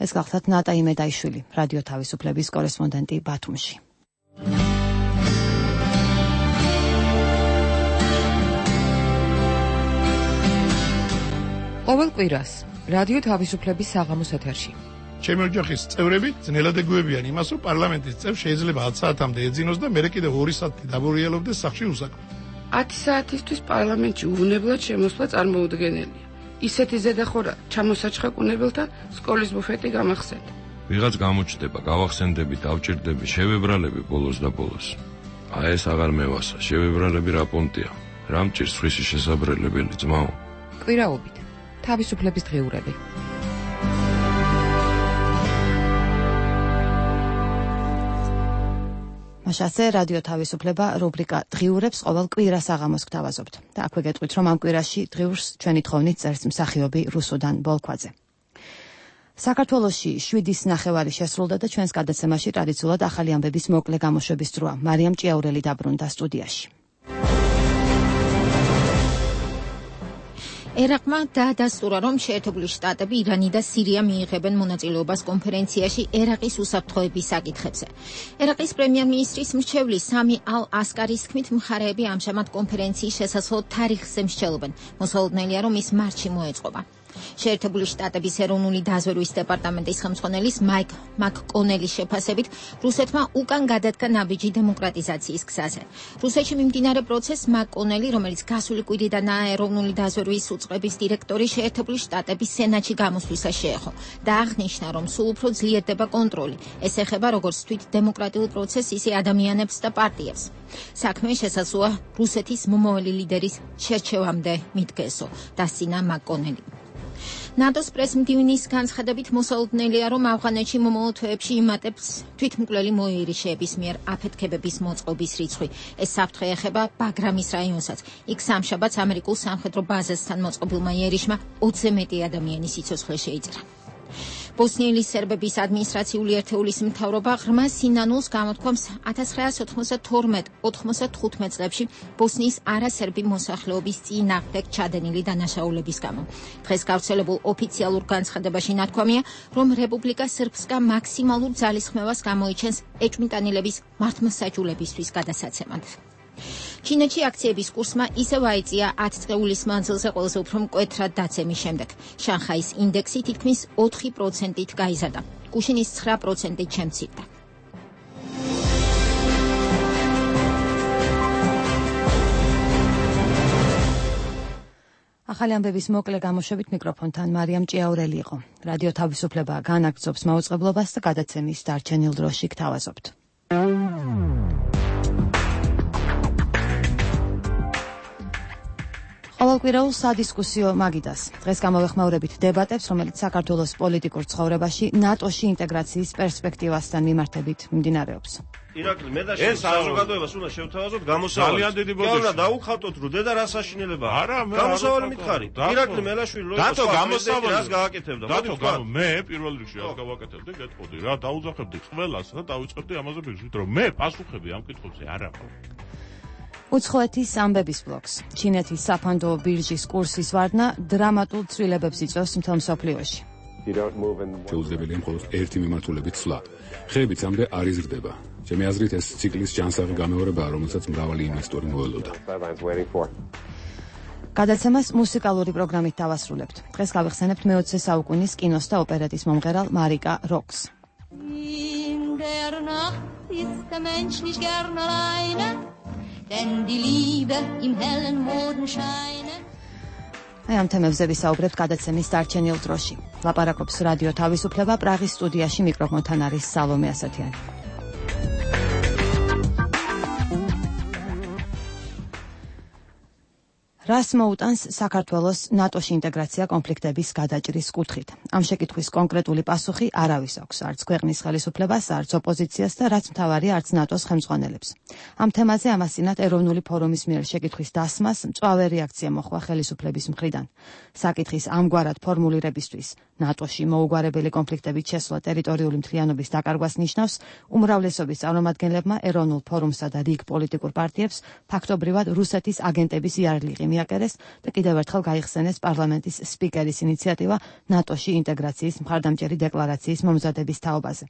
ეს გახლავთ ნატა იმედაიშვილი, რადიო თავისუფლების კორესპონდენტი ბათუმში. ყოველ კვირას რადიო თავისუფლების საღამოს ეთერში. ჩემი ოჯახის წევრები ძნელად ეგუებიან იმას, რომ პარლამენტის წევრ შეიძლება ათი საათამდე ეძინოს და მერე კიდევ ორი საათი დაბურიელობდეს სახლში უსაქმოდ. ათი საათისთვის პარლამენტში უვნებლად შემოსვლა წარმოუდგენელია. ისეთი ზედახურა ჩამოსაჩხაკუნებელთა სკოლის ბუფეტი გამახსენდა. ვიღაც გამოჩნდება, გავახსენდები, დავჭირდები, შევებრალები ბოლოს და ბოლოს. აი ეს აღარ მევასა, შევებრალები რა პონტია. რა მჭირს ხმისი შესაბრელებელი ძმაო? კვირაობით. თავისუფლების დღიურები. მაშასე რადიო თავისუფლება რუბრიკა დღიურებს ყოველ კვირას აღამოს გთავაზობთ. და აქვე გეტყვით, რომ ამ კვირაში დღიურს ჩვენი თხოვნით წერს მსახიობი რუსუდან ბოლქვაძე. საქართველოში შვიდის ნახევარი შესრულდა და ჩვენს გადაცემაში ტრადიციულად ახალი ამბების მოკლე გამოშვების დროა. მარიამ ჭიაურელი დაბრუნდა სტუდიაში. ერაყმა დაადასტურა, რომ შეერთებული შტატები, ირანი და სირია მიიღებენ მონაწილეობას კონფერენციაში ერაყის უსაფრთხოების საკითხებზე. ერაყის პრემიერ-მინისტრის მრჩევლის სამი ალ-ასკარის თქმით, მხარეები ამჟამად კონფერენციის შესაძლო თარიღზე მსჯელობენ. მოსალოდნელია, რომ ის მარტში მოეწყობა. შეერთებული შტატების ეროვნული დაზვერვის დეპარტამენტის ხელმძღვანელის მაიკ მაკკონელის შეფასებით, რუსეთმა უკან გადადგა ნაბიჯი დემოკრატიზაციის გზაზე. რუსეთში მიმდინარე პროცესს მაკკონელი, რომელიც გასული კვირიდანაა ეროვნული დაზვერვის უწყების დირექტორი, შეერთებული შტატების სენატში გამოსვლისას შეეხო და აღნიშნა, რომ სულ უფრო ძლიერდება კონტროლი. ეს ეხება როგორც თვით დემოკრატიულ პროცესს, ისე ადამიანებს და პარტიებს. საქმე შესაძლოა რუსეთის მომავალი ლიდერის შერჩევამდე მიდგესო, დასცინა მაკკონელი. ნატოს პრესმდივნის განცხადებით მოსალოდნელია, რომ ავღანეთში მომავალ თვეებში იმატებს თვითმკვლელი მოიერიშეების მიერ აფეთქებების მოწყობის რიცხვი. ეს საფრთხე ეხება ბაგრამის რაიონსაც. იქ სამშაბათს ამერიკულ სამხედრო ბაზასთან მოწყობილმა იერიშმა ოცზე მეტი ადამიანის სიცოცხლე შეიჭრა. ბოსნიელი სერბების ადმინისტრაციული ერთეულის მთავრობა ღრმა სინანულს გამოთქვამს ათას ცხრაასი ოცდაათი ოთხმოცდათხუთმეტ წლებში ბოსნიის არასერბი მოსახლეობის წინააღმდეგ ჩადენილი დანაშაულების გამო. დღეს გავრცელებულ ოფიციალურ განცხადებაში ნათქვამია, რომ რეპუბლიკა სერბსკა მაქსიმალურ ძალისხმევას გამოიჩენს ეჭვმიტანილების მართლმსაჯულებისთვის გადასაცემად. ჩინეთში აქციების კურსმა ისევ აიწია ათი წლის მანძილზე ყველაზე უფრო მკვეთრად დაცემის შემდეგ. შანხაის ინდექსი თითქმის ოთხი პროცენტით გაიზარდა. გუშინის ცხრა პროცენტით შემცირდა. ახალი ამბების მოკლე გამოშვებით მიკროფონთან მარიამ ჭიაურელი იყო. რადიო თავისუფლება განაგრძობს მაუწყებლობას და გადაცემის დარჩენილ დროში გთავაზობთ. ყოველკვირეულ სადისკუსიო მაგიდას. დღეს გამოვეხმაურებით დებატებს, რომელიც საქართველოს პოლიტიკურ ცხოვრებაში ნატოში ინტეგრაციის პერსპექტივასთან მიმართებით მიმდინარეობს. ირაკლი, მე და შენ საზოგადოებას უნდა შევთავაზოთ გამოსავალი. ძალიან დიდი ბოდიში. კი, დაუხავთოთ, რომ დედა რა საშინელებაა. არა, მე გამოსავალი მითხარი. ირაკლი მელაშვილი რო დათო გამოსავალი რას გააკეთებდა? დათო გამო მე პირველ რიგში რას გავაკეთებდი, გეტყოდი რა, დაუძახებდი ყველას და დავიწყებდი ამაზე ბიძით, რომ მე პასუხები ამ კითხვებზე არ აქვს. უცხოეთის ამბების ბლოკს. ჩინეთის საფანდო ბირჟის კურსის ვარდნა დრამატულ ცვლილებებს იწვევს მთელ მსოფლიოში. შეუძლებელია მხოლოდ ერთი მიმართულებით სვლა. ხეებიც ამბე არ იზრდება. ჩემი აზრით ეს ციკლის ჯანსაღი გამეორებაა, რომელსაც მრავალი ინვესტორი მოელოდა. გადაცემას მუსიკალური პროგრამით დავასრულებთ. დღეს გავიხსენებთ მეოცე საუკუნის კინოს და ოპერეტის მომღერალ მარიკა როკს. Denn die Liebe im hellen Morgenscheine. აი ამ თემებზე ვისაუბრებთ გადაცემის დარჩენილ დროში. ლაპარაკობს რადიო თავისუფლება, პრაღის სტუდიაში მიკროფონთან არის სალომე ასათიანი. რას მოუტანს საქართველოს ნატოში ინტეგრაცია კონფლიქტების გადაჭრის კუთხით? ამ შეკითხვის კონკრეტული პასუხი არავის აქვს, არც ქვეყნის ხელისუფლებას, არც ოპოზიციას და რაც მთავარია, არც ნატოს ხელმძღვანელებს. ამ თემაზე ამასწინათ ეროვნული ფორუმის მიერ შეკითხვის დასმას მწვავე რეაქცია მოხდა ხელისუფლების მხრიდან. საკითხის ამგვარად ფორმულირებისთვის ნატოში მოუგვარებელი კონფლიქტებით შესვლა ტერიტორიული მთლიანობის დაკარგვას ნიშნავს, უმრავლესობის წარმომადგენლებმა ეროვნულ ფორუმსა და რიგ პოლიტიკურ პარტიებს ფაქტობრივად რუსეთის აგენტების იარლიღი მიაკერეს და კიდევ ერთხელ გაიხსენეს პარლამენტის სპიკერის ინიციატივა ნატოში ინტეგრაციის მხარდამჭერი დეკლარაციის მომზადების თაობაზე.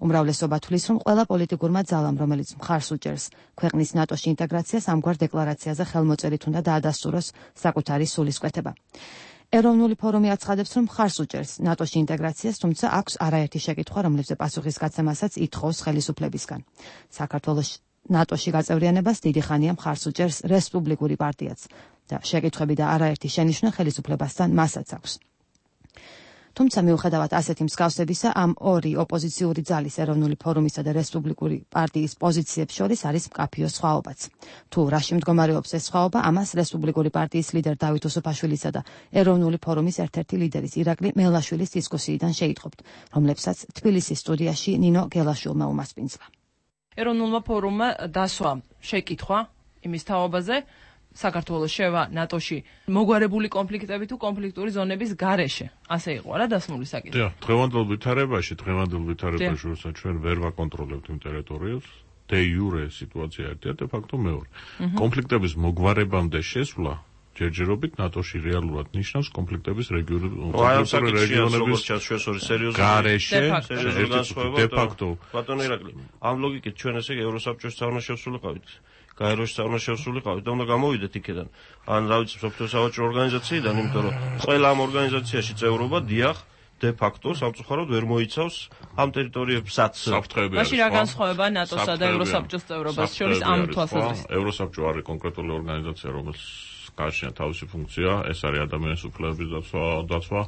უმრავლესობა თვლის, რომ ყველა პოლიტიკურმა ძალამ, რომელიც მხარს უჭერს ქვეყნის ნატოში ინტეგრაციას, ამგვარ დეკლარაციაზე ხელმოწერით უნდა დაადასტუროს საკუთარი სულისკვეთება. ეროვნული ფორუმი აცხადებს, რომ მხარს უჭერს ნატოში ინტეგრაციას, თუმცა აქვს არაერთი შეკითხვა, რომლებზე პასუხის გაცემასაც ითხოვს ხელისუფლებისგან. საქართველოს ნატოში გაწევრიანებას დიდი ხანია მხარს უჭერს რესპუბლიკური პარტიაც. და შეკითხვები და არაერთი შენიშვნა ხელისუფლებასთან მასაც აქვს. თუმცა მიუხედავად ასეთი მსგავსებისა, ამ ორი ოპოზიციური ძალის ეროვნული ფორუმისა და რესპუბლიკური პარტიის პოზიციებს შორის არის მკაფიო სხვაობაც. თუ რაში მდგომარეობს ეს სხვაობა, ამას რესპუბლიკური პარტიის ლიდერ დავით უსუფაშვილისა და ეროვნული ფორუმის ერთ-ერთი ლიდერის ირაკლი მელაშვილის დისკუსიიდან შეიტყობთ, რომლებსაც თბილისის სტუდიაში ნინო გელაშვილმა უმასპინძლა. ეროვნულმა ფორუმმა დასვა შეკითხვა იმის თაობაზე, საქართველოს შევა ნატოში მოგვარებული კონფლიქტები თუ კონფლიქტური ზონების გარეშე. ასე იყო რა დასმული საკითხი. დიახ, დღევანდელ ვითარებაში, დღევანდელ ვითარებაში, როცა ჩვენ ვერ ვაკონტროლებთ იმ ტერიტორიებს, დე იურე სიტუაცია ერთია, დე ფაქტო მეორე. კონფლიქტების მოგვარებამდე შესვლა ჯერჯერობით ნატოში რეალურად ნიშნავს კონფლიქტების რეგიონების გარეშე დე ფაქტო. ბატონო ირაკლი, ამ ლოგიკით ჩვენ ესე ევროსაბჭოს საქმეში შევსულიყავით. გაეროში საქმეში შევსულიყავით და უნდა გამოვიდეთ იქედან. ან რა ვიცი, სოფლიო სავაჭრო ორგანიზაციიდან, იმიტომ რომ ყველა ამ ორგანიზაციაში წევრობა დიახ დე ფაქტო სამწუხაროდ ვერ მოიცავს ამ ტერიტორიებსაც საფრთხეები. მაშინ რა განსხვავება ნატოსა და ევროსაბჭოს წევრობას შორის ამ თვალსაზრისით? ევროსაბჭო არის კონკრეტული ორგანიზაცია, რომელიც გააჩნია თავისი ფუნქცია, ეს არის ადამიანის უფლებების დაცვა.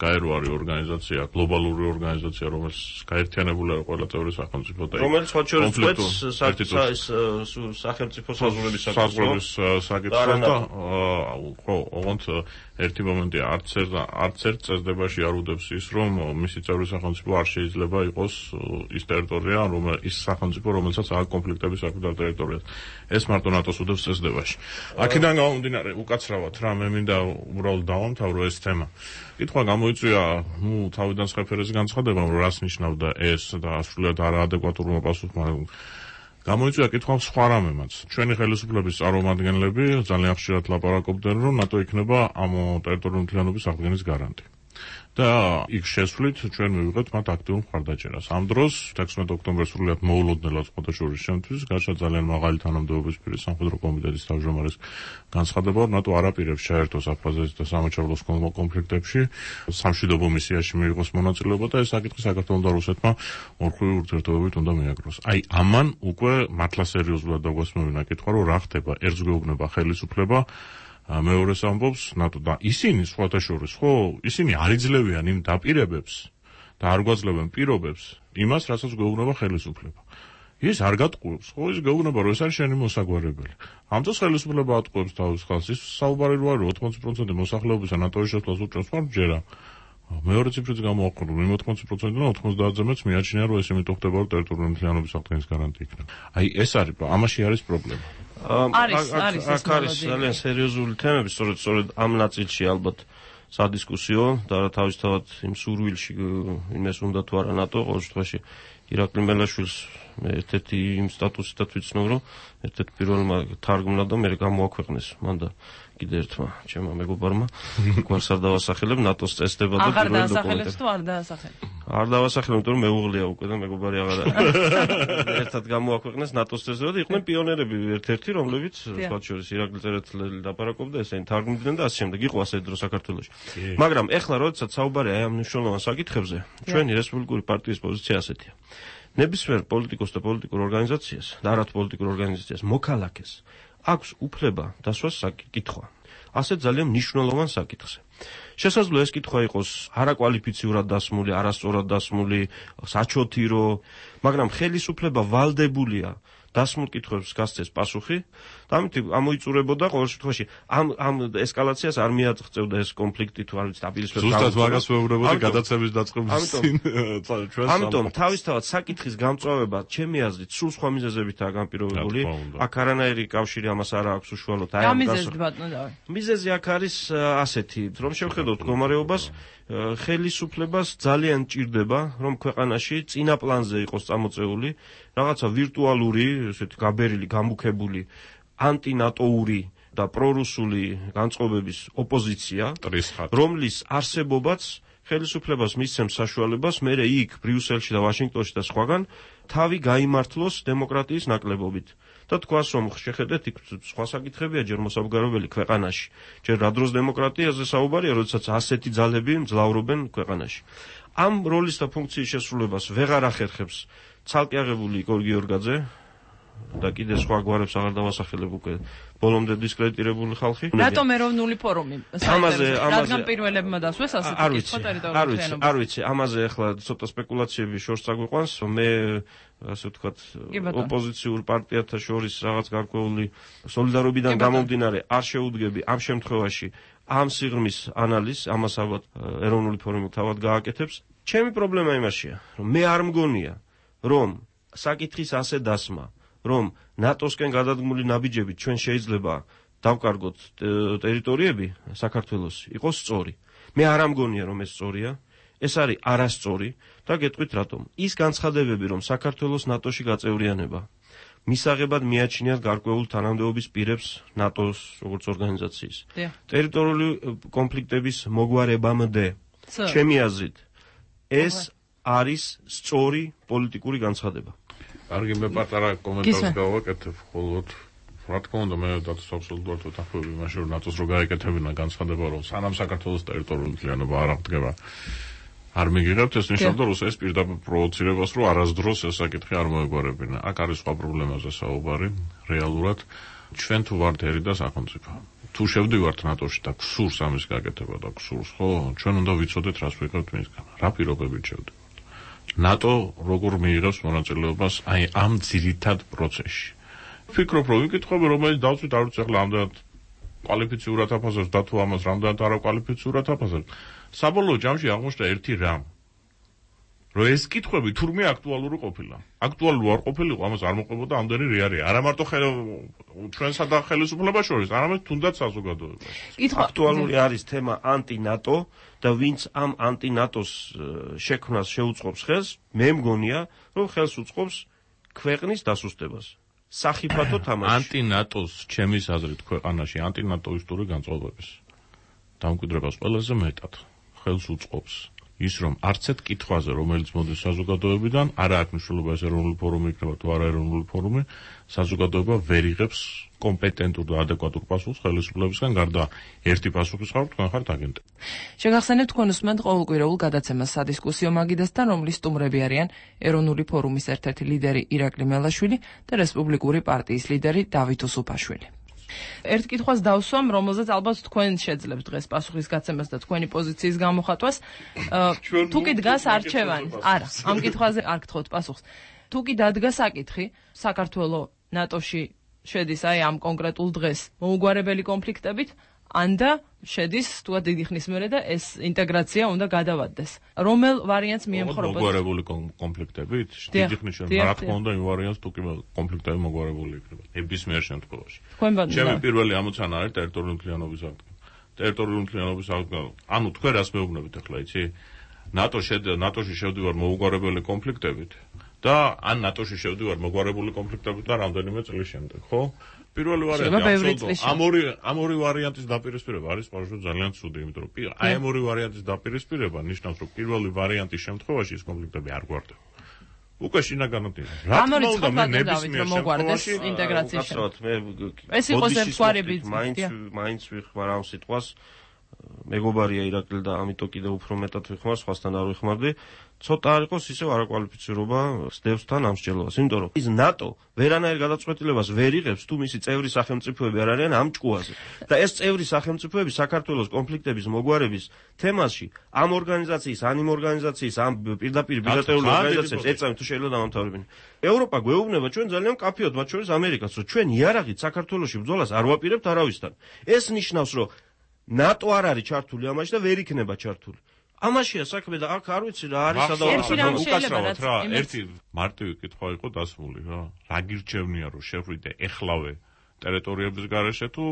გაერო არის ორგანიზაცია, გლობალური ორგანიზაცია, რომელიც გაერთიანებული არის ყველა წევრი სახელმწიფო და რომელიც სხვა შორის წვეთს სახელმწიფო საზღვრების საკითხს და ხო, ოღონდ ერთი მომენტია, არც არც ერთ წესდებაში არ უდევს ის, რომ მისი წევრი სახელმწიფო არ შეიძლება იყოს ის ტერიტორია, რომელიც ის სახელმწიფო, რომელსაც აქვს კონფლიქტების საკუთარ ტერიტორიაზე. ეს მარტო ნატოს უდევს წესდებაში. აქედან გამომდინარე, უკაცრავად რა, მე მინდა უბრალოდ დავამთავრო ეს თემა. კითხვა გამოიწვია, ნუ თავიდან სხეფერეზე განცხადება, რომ რას ნიშნავდა ეს და სრულიად არაადეკვატურმა პასუხმა. გამოიწვია კითხვა სხვა რამემაც. ჩვენი ხელისუფლების წარმომადგენლები ძალიან ხშირად ლაპარაკობდნენ, რომ ნატო იქნება ამ ტერიტორიული მთლიანობის აღდგენის გარანტი. და იქ შესვლით ჩვენ მივიღეთ მათ აქტიურ მხარდაჭერას. ამ დროს თექვსმეტ ოქტომბერს სრულიად მოულოდნელად ხოთაშორის შემთთვის გაჩნდა ძალიან მაღალი თანამდებობის პირის სამხედრო კომიტეტის თავმჯდომარის განცხადება, რომ ნატო არ აპირებს ჩაერთოს აფხაზეთის და სამოჩაბლოს კონფლიქტებში, სამშვიდობო მისიაში მიიღოს მონაწილეობა და ეს საკითხი საქართველოს და რუსეთმა ორმხრივი ურთიერთობებით უნდა მიაგროს. აი ამან უკვე მართლა სერიოზულად დაგვასმევინა კითხვა, რომ რა ხდება, ერთს გვეუბნება ხელისუფლება, მეორეს ამბობს ნატო და ისინი სხვათა შორის, ხო, ისინი არ იძლევიან იმ დაპირებებს და არ გვაძლევენ პირობებს იმას, რასაც გვეუბნება ხელისუფლება. ის არ გატყუებს, ხო, ის გვეუბნება, რომ ეს არის შენი მოსაგვარებელი. ამ დროს ხელისუფლება ატყუებს თავის ხალხს, ის საუბარი რო არის ოცდაათი პროცენტი მოსახლეობისა ნატოს შესვლას უჭერს მარჯერა. მეორე ციფრიც გამოაყენო, იმ ოცდაათი პროცენტიდან ოცდაათზე მეც მიაჩნია, რომ ეს იმიტომ ხდება, რომ ტერიტორიული მთლიანობის აღდგენის გარანტი იქნება. აი ეს არის, ამაში არის პრობლემა. არის, არის ეს არის ძალიან სერიოზული თემები, სწორედ სწორედ ამ ნაწილში ალბათ სადისკუსიო და თავისთავად იმ სურვილში იმეს უნდა თუ არა ნატო, ყოველ შემთხვევაში ირაკლი მელაშვილს ერთ-ერთი იმ სტატუსითაც ვიცნობ, რომ ერთ-ერთი პირველმა თარგმნა და მე გამოაქვეყნეს მან და კიდე ერთმა ჩემმა მეგობარმა გვარს არ დავასახელებ ნატოს წესდება და აღარ დაასახელებს თუ არ დაასახელებ? არ დავასახელებ, იმიტომ რომ მეუღლია უკვე და მეგობარი აღარ არის. ერთად გამოაქვეყნეს ნატოს წესდება და იყვნენ პიონერები ერთ-ერთი, რომლებიც სხვა შორის ირაკლი წერეთლელი ლაპარაკობდა, ესენი თარგმნიდნენ და ასე შემდეგ. იყო ასე დრო საქართველოში. მაგრამ ეხლა როდესაც საუბარია აი ამ მნიშვნელოვან საკითხებზე, ჩვენი რესპუბლიკური პარტიის პოზიცია ასეთია. ნებისმიერ პოლიტიკოს და პოლიტიკურ ორგანიზაციას და არათ პოლიტიკურ ორგანიზაციას მოქალაქეს აქვს უფლება დასვას საკითხვა. ასე ძალიან მნიშვნელოვან საკითხზე. შესაძლოა ეს კითხვა იყოს არაკვალიფიციურად დასმული, არასწორად დასმული, საჩოთირო, მაგრამ ხელისუფლება ვალდებულია დასმულ კითხვებს გასცეს პასუხი და ამით ამოიწურებოდა ყოველ შემთხვევაში ამ ამ ესკალაციას არ მიაღწევდა ეს კონფლიქტი თუ არ ვიცი დაპირისპირება. ზუსტად მაგას ვეუბნებოდი გადაცემის დაწყების წინ ჩვენს. ამიტომ თავისთავად საკითხის გამწვავება ჩემი აზრით სულ სხვა მიზეზებითაა განპირობებული. აქ არანაირი კავშირი ამას არ აქვს უშუალოდ. აი ამ გასაგებად. მიზეზი აქ არის ასეთი, რომ შევხედოთ მდგომარეობას, ხელისუფლებას ძალიან ჭირდება, რომ ქვეყანაში წინა პლანზე იყოს წამოწეული რაღაცა ვირტუალური, ესეთი გაბერილი, გამუქებული ანტინატოური და პრორუსული განწყობების ოპოზიცია, რომლის არსებობაც ხელისუფლებას მისცემს საშუალებას მერე იქ ბრიუსელში და ვაშინგტონში და სხვაგან თავი გაიმართლოს დემოკრატიის ნაკლებობით. და თქვას, რომ შეხედეთ იქ სხვა საკითხებია ჯერ მოსაბგარებელი ქვეყანაში. ჯერ რა დროს დემოკრატიაზე საუბარია, როდესაც ასეთი ძალები მძლავრობენ ქვეყანაში. ამ როლის და ფუნქციის შესრულებას ვეღარ ახერხებს ცალკე აღებული იგორ გიორგაძე, და კიდე სხვა გვარებს აღარ დავასახელებ უკვე ბოლომდე დისკრედიტირებული ხალხი. რატომ ეროვნული ფორუმი? ამაზე რადგან პირველებმა დასვეს ასეთი კითხვა ტერიტორიული შენობა. არ ვიცი, ამაზე ახლა ცოტა სპეკულაციები შორს აგვიყვანს, მე ასე ვთქვათ, ოპოზიციურ პარტიათა შორის რაღაც გარკვეული სოლიდარობიდან გამომდინარე არ შეუდგები ამ შემთხვევაში ამ სიღრმის ანალიზს, ამას ალბათ ეროვნული ფორუმი თავად გააკეთებს. ჩემი პრობლემა იმაშია, რომ მე არ მგონია, რომ საკითხის ასე დასმა რომ ნატოსკენ გადადგმული ნაბიჯებით ჩვენ შეიძლება დავკარგოთ ტერიტორიები საქართველოს იყოს სწორი. მე არ ამგონია რომ ეს სწორია, ეს არის არასწორი და გეტყვით რატომ. ის განცხადებები რომ საქართველოს ნატოში გაწევრიანება მისაღებად მიაჩნიათ გარკვეულ თანამდებობის პირებს ნატოს როგორც ორგანიზაციის. ტერიტორიული კონფლიქტების მოგვარებამდე ჩემი აზრით ეს არის სწორი პოლიტიკური განცხადება. კარგი, მე პატარა კომენტარს გავაკეთებ, ხოლო რა თქმა უნდა მე დათოს აბსოლუტურად ვეთანხმები იმაში, რომ ნატოს რო გაეკეთებინა განცხადება, რომ სანამ საქართველოს ტერიტორიული ძალიანობა არ აღდგება, არ მიგიღებთ, ეს ნიშნავდა, რომ ეს პირდაპირ პროვოცირებას, რომ არასდროს ეს საკითხი არ მოეგვარებინა. აქ არის სხვა პრობლემაზე საუბარი, რეალურად ჩვენ თუ ვართ ერი და სახელმწიფო. თუ შევდივართ ნატოში და გსურს ამის გაკეთება და გსურს, ხო, ჩვენ უნდა ვიცოდეთ, რას ვიღებთ მისგან, რა პირობებით შევდივართ. ნატო როგორ მიიღებს მონაწილეობას აი ამ ძირითად პროცესში. ვფიქრობ, რომ ვიკითხები, რომელიც დავწვით, არ ვიცი ახლა ამდენად კვალიფიციურად აფასებს და თუ ამას რამდენად არაკვალიფიციურად აფასებს. საბოლოო ჯამში აღმოჩნდა ერთი რამ. რომ ეს კითხვები თურმე აქტუალური ყოფილა. აქტუალური არ ყოფილიყო, ამას არ მოყვებოდა ამდენი რეალია. არა მარტო ჩვენსა და ხელისუფლებას შორის, არამედ თუნდაც საზოგადოებას. აქტუალური არის თემა ანტი-ნატო და ვინც ამ ანტი-ნატოს შექმნას შეუწყობს ხელს, მე მგონია, რომ ხელს უწყობს ქვეყნის დასუსტებას. სახიფათო თამაში. ანტი-ნატოს ჩემის აზრით ქვეყანაში ანტი-ნატოისტური განწყობების დამკვიდრებას ყველაზე მეტად ხელს უწყობს ის რომ არც ერთ კითხვაზე რომელიც მოდის საზოგადოებიდან არა აქვს მნიშვნელობა ეს ეროვნული ფორუმი იქნება თუ არა ეროვნული ფორუმი საზოგადოება ვერ იღებს კომპეტენტურ და ადეკვატურ პასუხს ხელისუფლებისგან გარდა ერთი პასუხის ხარ თქვენ ხართ აგენტი. შეგახსენებთ თქვენ უსმენთ ყოველკვირეულ გადაცემას სადისკუსიო მაგიდასთან რომლის სტუმრები არიან ეროვნული ფორუმის ერთ-ერთი ლიდერი ირაკლი მელაშვილი და რესპუბლიკური პარტიის ლიდერი დავით უსუფაშვილი. ერთ კითხვას დავსვამ, რომელზეც ალბათ თქვენ შეძლებთ დღეს პასუხის გაცემას და თქვენი პოზიციის გამოხატვას. თუ კი დგას არჩევანი, არა, ამ კითხვაზე არ გთხოვთ პასუხს. თუ კი დადგა საკითხი, საქართველოს ნატოში შედის აი ამ კონკრეტულ დღეს მოუგვარებელი კონფლიქტებით, ანდა შედის თუა დიდი ხნის მერე და ეს ინტეგრაცია უნდა გადავადდეს. რომელ ვარიანტს მიემხრობთ? მოგვარებული კონფლიქტებით? დიდი ხნის მერე, რა თქმა უნდა, იმ ვარიანტს თუ კი კონფლიქტები მოგვარებული იქნება. ნებისმიერ შემთხვევაში. ჩემი პირველი ამოცანა არის ტერიტორიული მთლიანობის აღდგენა. ტერიტორიული მთლიანობის აღდგენა. ანუ თქვენ რას მეუბნებით ახლა, იცი? ნატო ნატოში შევდივარ მოუგვარებელი კონფლიქტებით და ან ნატოში შევდივარ მოგვარებული კონფლიქტებით და რამდენიმე წლის შემდეგ, ხო? პირველი ვარიანტი ამ ორი ამ ორი ვარიანტის დაპირისპირება არის პარჟო ძალიან ცუდი, იმიტომ რომ აი ამ ორი ვარიანტის დაპირისპირება ნიშნავს, რომ პირველი ვარიანტის შემთხვევაში ეს კონფლიქტები არ გვარდება. უკვე შინაგანად ის. რა თქმა უნდა, მე ნებისმიერ შემთხვევაში ინტეგრაციის ეს იყოს ერთგვარი ბიძი. მაინც მაინც ვიხმარ ამ სიტყვას. მეგობარია ირაკლი და ამიტომ კიდევ უფრო მეტად ვიხმარ, სხვასთან არ ვიხმარდი. ცოტა არ იყოს ისევ არაკვალიფიცირება სდევს თან ამ მსჯელობას, იმიტომ რომ ის ნატო ვერანაირ გადაწყვეტილებას ვერ იღებს თუ მისი წევრი სახელმწიფოები არ არიან ამ ჭკუაზე. და ეს წევრი სახელმწიფოები საქართველოს კონფლიქტების მოგვარების თემაში ამ ორგანიზაციის, ან იმ ორგანიზაციის, ამ პირდაპირ ბილატერალური ორგანიზაციებს ეწევენ თუ შეიძლება დამამთავრებინა. ევროპა გვეუბნება ჩვენ ძალიან კაფიოდ, მათ შორის ამერიკაც, რომ ჩვენ იარაღით საქართველოში ბრძოლას არ ვაპირებთ არავისთან. ეს ნიშნავს, რომ ნატო არ არის ჩართული ამაში და ვერ იქნება ჩართული. ამაშია საქმე და აქ არ ვიცი რა არის სადავო უკაცრავად რა ერთი მარტივი კითხვა იყო დასმული რა რა გირჩევნია რომ შევრიდე ეხლავე ტერიტორიების გარეშე თუ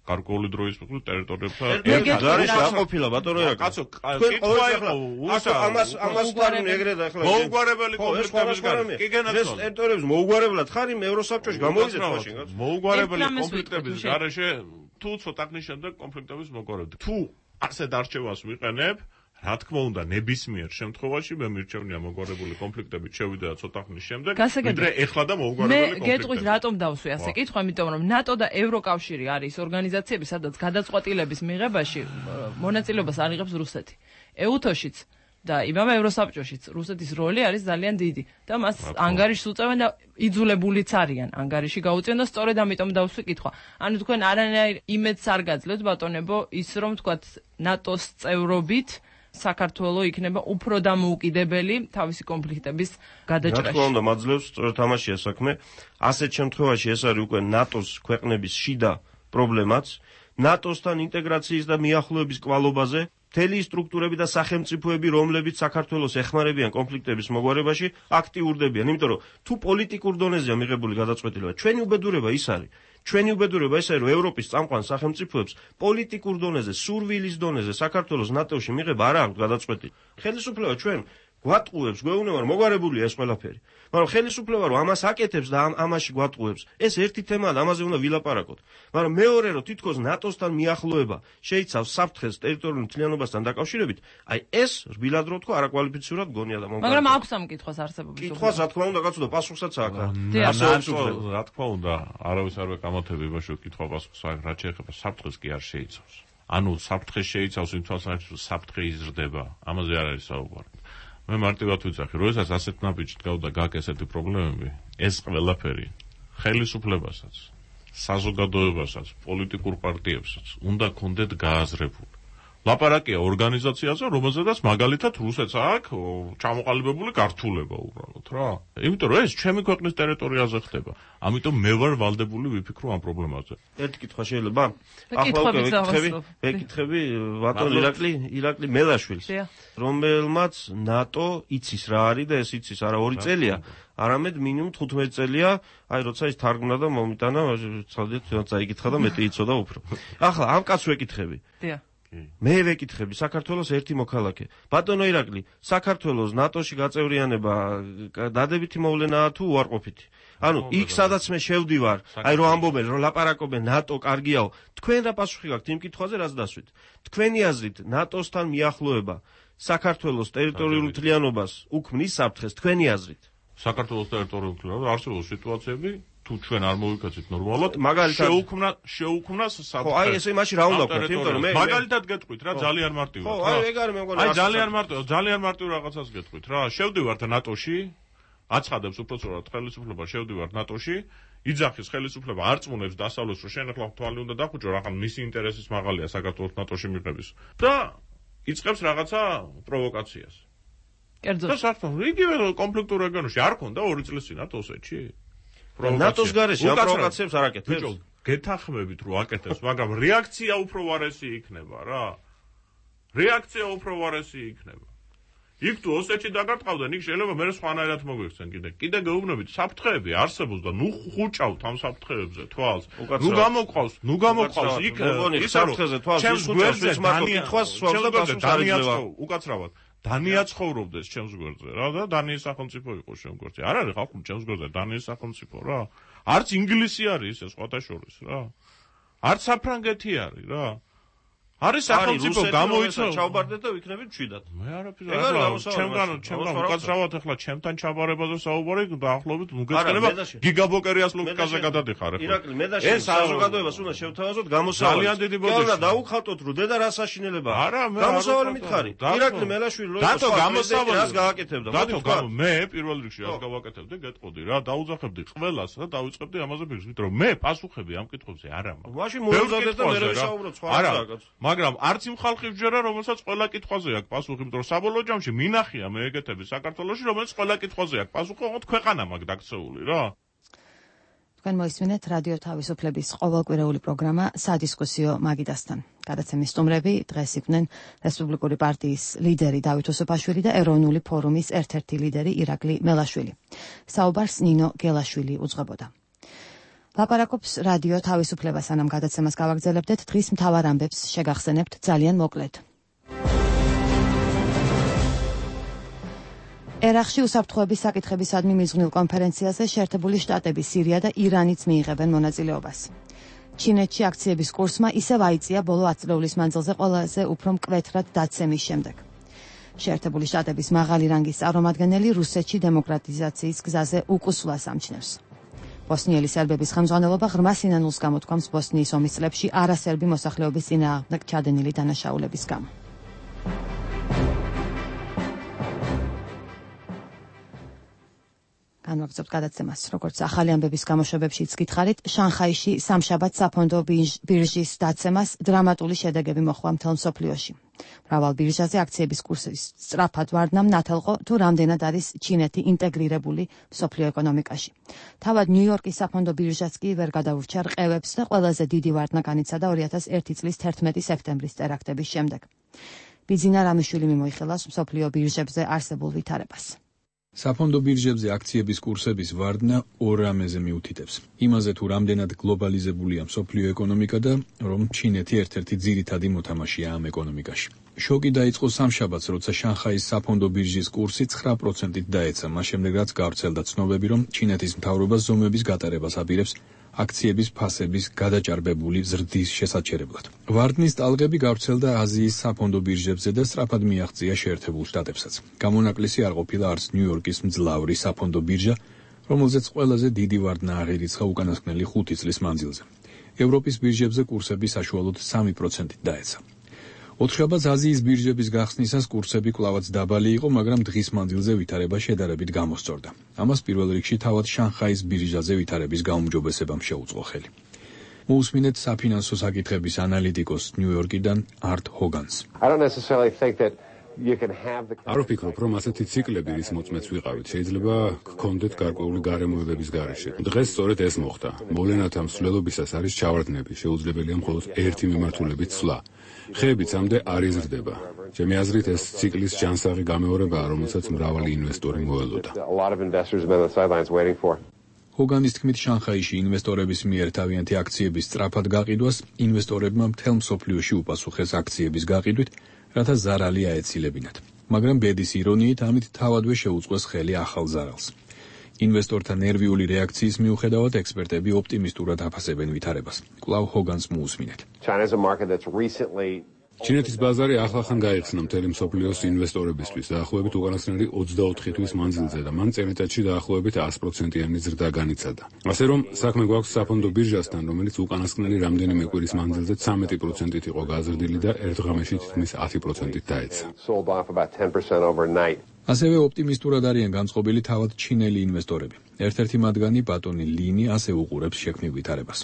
გარკვეული დროის მიხედვით ტერიტორიებთან ერთ გარეშე აყოფილა ბატონო რა კაცო კითხვა იყო ამას ამას ვარუნ ეგრე და ეხლა მოუგვარებელი კონფლიქტების გარეშე კი გენაცვალე ეს ტერიტორიების მოუგვარებლად ხარ იმ ევროსაბჭოში გამოვიდეთ მაშინ კაცო მოუგვარებელი კონფლიქტების გარეშე თუ ცოტა ხნის შემდეგ კონფლიქტების მოგვარებდი თუ ასეთ არჩევას ვიყენებ რა თქმა უნდა ნებისმიერ შემთხვევაში მე მირჩევნია მოგვარებული კონფლიქტებით შევიდე და ცოტა ხნის შემდეგ ვიდრე ეხლა და მოუგვარებელი კონფლიქტები. მე გეტყვით რატომ დავსვი ასე კითხვა, იმიტომ რომ ნატო და ევროკავშირი არის ორგანიზაციები, სადაც გადაწყვეტილების მიღებაში მონაწილეობას არ იღებს რუსეთი. ეუთოშიც და იმავე ევროსაბჭოშიც რუსეთის როლი არის ძალიან დიდი და მას ანგარიშს უწევენ და იძულებულიც არიან ანგარიში გაუწიონ და სწორედ ამიტომ დავსვი კითხვა. ანუ თქვენ არანაირ იმედს არ გაძლევთ ბატონებო ის რომ თქვათ ნატოს წევრობით საქართველო იქნება უფრო დამოუკიდებელი თავისი კონფლიქტების გადაჭრაში. რა თქმა უნდა, მაძლევს სწორედ ამაშია საქმე. ასეთ შემთხვევაში ეს არის უკვე ნატოს ქვეყნების შიდა პრობლემაც, ნატოსთან ინტეგრაციის და მიახლოების კვალობაზე, მთელი სტრუქტურები და სახელმწიფოები, რომლებიც საქართველოს ეხმარებიან კონფლიქტების მოგვარებაში, აქტიურდებიან, იმიტომ რომ თუ პოლიტიკურ დონეზეა მიღებული გადაწყვეტილება, ჩვენი უბედურება ის არის. ჩვენი უბედურება ის არის, რომ ევროპის წამყვან სახელმწიფოებს პოლიტიკურ დონეზე, სურვილის დონეზე საქართველოს ნატოში მიღება არ აქვს გადაწყვეტილი. ხელისუფლება ჩვენ გვატყუებს, გვეუბნება რომ მოგვარებულია ეს ყველაფერი. მაგრამ ხელისუფლება რომ ამას აკეთებს და ამ ამაში გვატყუებს, ეს ერთი თემაა და ამაზე უნდა ვილაპარაკოთ. მაგრამ მეორე რომ თითქოს ნატოსთან მიახლოება შეიცავს საფრთხეს ტერიტორიულ მთლიანობასთან დაკავშირებით, აი ეს რბილად რო თქვა არაკვალიფიცირად გონია და მომგარდა. მაგრამ აქვს ამ კითხვას არსებობის. კითხვას რა თქმა უნდა კაცო და პასუხსაც აქვს. რა თქმა უნდა, არავის არ ვეკამათები იმაში რომ კითხვა პასუხს აქვს, რა შეეხება საფრთხეს კი არ შეიცავს. ანუ საფრთხეს შეიცავს იმ თვალსაზრისით რომ საფრთხე იზრდება. ამაზე არ არის საუბარი. მე მარტივად ვიძახი, როდესაც ასეთ ნაბიჯით გავდა გაკ ესეთი პრობლემები, ეს ყველაფერი ხელისუფლებასაც, საზოგადოებასაც, პოლიტიკურ პარტიებსაც უნდა კონდეთ გააზრებული. ლაპარაკია ორგანიზაციაზე, რომელზედაც მაგალითად რუსეთს აქვს ჩამოყალიბებული გართულება უბრალოდ რა. იმიტომ რომ ეს ჩემი ქვეყნის ტერიტორიაზე ხდება. ამიტომ მე ვარ ვალდებული ვიფიქრო ამ პრობლემაზე. ერთი კითხვა შეიძლება? ახლა უკვე ვეკითხები, ვეკითხები ბატონ ირაკლი, ირაკლი მელაშვილს, რომელმაც ნატო იცის რა არის და ეს იცის არა ორი წელია, არამედ მინიმუმ თხუთმეტი წელია, აი როცა ის თარგმნა და მომიტანა, ცალდეთ წაიკითხა და მეტი იცოდა უფრო. ახლა ამ კაცს ვეკითხები. დიახ. მე ვეკითხები საქართველოს ერთი მოქალაქე. ბატონო ირაკლი, საქართველოს ნატოში გაწევრიანება დადებითი მოვლენაა თუ უარყოფითი? ანუ იქ სადაც მე შევდივარ, აი რომ ამბობენ, რომ ლაპარაკობენ ნატო კარგიაო, თქვენ რა პასუხი გაქვთ იმ კითხვაზე, რაც დასვით? თქვენი აზრით ნატოსთან მიახლოება საქართველოს ტერიტორიულ მთლიანობას უქმნის საფრთხეს, თქვენი აზრით? საქართველოს ტერიტორიულ მთლიანობას არსებობს სიტუაციები თუ ჩვენ არ მოვიქცეთ ნორმალურად, მაგალითად შეუქმნა შეუქმნას საფრთხე. ხო, აი ესე მაშინ რა უნდა ვქოთ, იმიტომ რომ მე მაგალითად გეტყვით რა, ძალიან მარტივად. ხო, აი ეგ არის მე მგონი. აი ძალიან მარტივ, ძალიან მარტივ რაღაცას გეტყვით რა. შევდივართ ნატოში, აცხადებს უпроцент ხელისუფლება შევდივართ ნატოში, იძახის ხელისუფლება არწმუნებს დასავლეთს, რომ შენ ახლა თვალი უნდა დახუჭო, რა ხან მისი ინტერესის მაღალია საქართველოს ნატოში მიღების. და იწყებს რაღაცა პროვოკაციას. კერძოდ. და საერთოდ იგივე კონფლიქტურ რეგიონში არ ქონდა ორი წლის წინ ნატოსეთში? ნატოს გარეშე ამ პროვოკაციებს არ აკეთებს. ბიჭო, გეთანხმებით რომ აკეთებს, მაგრამ რეაქცია უფრო ვარესი იქნება რა. რეაქცია უფრო ვარესი იქნება. იქ თუ ოსეთში დაგარტყავდნენ, იქ შეიძლება მე სხვანაირად მოგვიქცენ კიდე. კიდე გეუბნებით, საფრთხეები არსებობს და ნუ ხუჭავთ ამ საფრთხეებზე თვალს. ნუ გამოყავს, ნუ გამოყავს იქ ის საფრთხეზე თვალს ის ხუჭავს მარტო კითხვას სვავს და პასუხს არ იძლევა. უკაცრავად დანია ცხოვრობდეს ჩემს გვერდზე რა და დანიის სახელმწიფო იყო ჩემს გვერდზე. არ არის ხალხი ჩემს გვერდზე დანიის სახელმწიფო რა. არც ინგლისი არის ეს სხვათა შორის რა. არც საფრანგეთი არის რა. არის სახელმწიფო გამოიცა ჩაუბარდეთ და ვიქნებით მშვიდად. მე არაფერს არ ჩემგან ჩემგან უკაცრავად ახლა ჩემთან ჩაბარებაზე საუბარი დაახლოებით ნუ გეცხენება გიგაბოკერიას ლოგიკაზე გადადიხარ ახლა. ირაკლი მე და შენ საზოგადოებას უნდა შევთავაზოთ გამოსავალი. ძალიან დიდი ბოდიში. და დაუხალტოთ რომ დედა რა საშინელება. არა მე გამოსავალი მითხარი. ირაკლი მელაშვილი რო დათო გამოსავალი რას გააკეთებდა? დათო მე პირველ რიგში რას გავაკეთებდი გეტყოდი რა დაუძახებდი ყველას და დავიწყებდი ამაზე ფიქრს, იმიტომ რომ მე პასუხები ამ კითხვებზე არ ამაქვს. მაშინ მოუზადეთ და მე ვისაუბროთ სხვა რაღაცას. მაგრამ არც იმ ხალხი ვჯერა, რომელსაც ყველა კითხვაზე აქვს პასუხი, იმიტომ რომ საბოლოო ჯამში მინახია მე ეგეთები საქართველოში, რომელიც ყველა კითხვაზე აქვს პასუხი, ოღონდ ქვეყანა მაქვს დაქცეული რა. თქვენ მოისმინეთ რადიო თავისუფლების ყოველკვირეული პროგრამა სადისკუსიო მაგიდასთან. გადაცემის სტუმრები დღეს იყვნენ რესპუბლიკური პარტიის ლიდერი დავით ოსოფაშვილი და ეროვნული ფორუმის ერთ-ერთი ლიდერი ირაკლი მელაშვილი. საუბარს ნინო გელაშვილი უძღვებოდა. ლაპარაკობს რადიო თავისუფლება, სანამ გადაცემას გავაგრძელებდეთ, დღის მთავარ ამბებს შეგახსენებთ ძალიან მოკლედ. ერაყში უსაფრთხოების საკითხებისადმი მიზღვნილ კონფერენციაზე შეერთებული შტატები, სირია და ირანიც მიიღებენ მონაწილეობას. ჩინეთში აქციების კურსმა ისევ აიწია ბოლო ათი წლების მანძილზე ყველაზე უფრო მკვეთრად დაცემის შემდეგ. შეერთებული შტატების მაღალი რანგის წარმომადგენელი რუსეთში დემოკრატიზაციის გზაზე უკუსვლას ამჩნევს. ბოსნიელი სერბების ხელმძღვანელობა ღრმა სინანულს გამოთქვამს ბოსნიის ომის წლებში არასერბი მოსახლეობის წინააღმდეგ ჩადენილი დანაშაულების გამო. განვაგრძობთ გადაცემას. Როგორც ახალი ამბების გამოშვებებშიც გითხარით, შანხაიში სამშაბათ საფონდო ბირჟის დაცემას დრამატული შედეგები მოჰყვა მთელ მსოფლიოში. მრავალ ბირჟაზე აქციების კურსის სწრაფად ვარდნამ ნათელყო, თუ რამდენად არის ჩინეთი ინტეგრირებული მსოფლიო ეკონომიკაში. თავად ნიუ-იორკის საფონდო ბირჟაც კი ვერ გადაურჩა რყევებს და ყველაზე დიდი ვარდნა განიცადა ორი ათას ერთი წლის თერთმეტი სექტემბრის ტერაქტების შემდეგ. ბიძინა რამიშვილი მიმოიხილავს მსოფლიო ბირჟებზე არსებულ ვითარებას. საფონდო ბირჟებზე აქციების კურსების ვარდნა ორ რამეზე მიუთითებს. იმაზე თუ რამდენად გლობალიზებულია მსოფლიო ეკონომიკა და რომ ჩინეთი ერთ-ერთი ძირითადი მოთამაშეა ამ ეკონომიკაში. შოკი დაიწყო სამშაბათს, როცა შანხაის საფონდო ბირჟის კურსი ცხრა პროცენტით დაეცა, მას შემდეგ რაც გავრცელდა ცნობები, რომ ჩინეთის მთავრობა ზომების გატარებას აპირებს აქციების ფასების გადაჭარბებული ზრდის შესაჩერებლად. ვარდნის ტალღები გავრცელდა აზიის საფონდო ბირჟებზე და სწრაფად მიაღწია შეერთებულ შტატებსაც. გამონაკლისი არ ყოფილა არც ნიუ-იორკის მძლავრი საფონდო ბირჟა, რომელზეც ყველაზე დიდი ვარდნა აღირიცხა უკანასკნელი ხუთი წლის მანძილზე. ევროპის ბირჟებზე კურსები საშუალოდ სამი პროცენტით დაეცა. ოთხშაბათს აზიის ბირჟების გახსნისას კურსები კვლავაც დაბალი იყო, მაგრამ დღის მანძილზე ვითარება შედარებით გამოსწორდა. ამას პირველ რიგში თავად შანხაის ბირჟაზე ვითარების გაუმჯობესებამ შეუწყო ხელი. მოусმინეთ საფინანსო საკითხების ანალიტიკოს ნიუ-იორკიდან არტ ჰოგანს. არ ვფიქრობ, რომ ასეთი ციკლები, რის მოწმეც ვიყავით, შეიძლება გქონდეთ გარკვეული გარემოებების გარეშე. დღეს სწორედ ეს მოხდა. მოვლენათა მსვლელობისას არის ჩავარდნები, შეუძლებელია მხოლოდ ერთი მიმართულებით ცვლა. ხეებიც ამდე არ იზრდება. ჩემი აზრით, ეს ციკლის ჯანსაღი გამეორებაა, რომელსაც მრავალი ინვესტორი მოელოდა. ჰოგანის თქმით, შანხაიში ინვესტორების მიერ თავიანთი აქციების სწრაფად გაყიდვას ინვესტორებმა მთელ მსოფლიოში უპასუხეს აქციების გაყიდვით, რათა ზარალი აეცილებინათ. მაგრამ ბედის ირონიით, ამით თავადვე შეუწყეს ხელი ახალ ზარალს. ინვესტორთა ნერვიული რეაქციის მიუხედავად, ექსპერტები ოპტიმისტურად აფასებენ ვითარებას. კვლავ ჰოგანს მოусმინეთ. ჩინეთის ბაზარი ახლახან გაიხსნა მთელი მსოფლიოს ინვესტორებისთვის დაახლოებით უკანასკნელი ოცდაოთხი თვის მანძილზე და მან წელიწადში დაახლოებით ას პროცენტიანი ზრდა განიცადა. ასე რომ, საქმე გვაქვს საფონდო ბირჟასთან, რომელიც უკანასკნელი რამდენიმე კვირის მანძილზე ცამეტი პროცენტით იყო გაზრდილი და ერთ ღამეში თითქმის ათი პროცენტით დაეცა. ასევე ოპტიმისტურად არიან განწყობილი თავად ჩინელი ინვესტორები. ერთ-ერთი მათგანი ბატონი ლინი ასე უყურებს შექმნილ ვითარებას.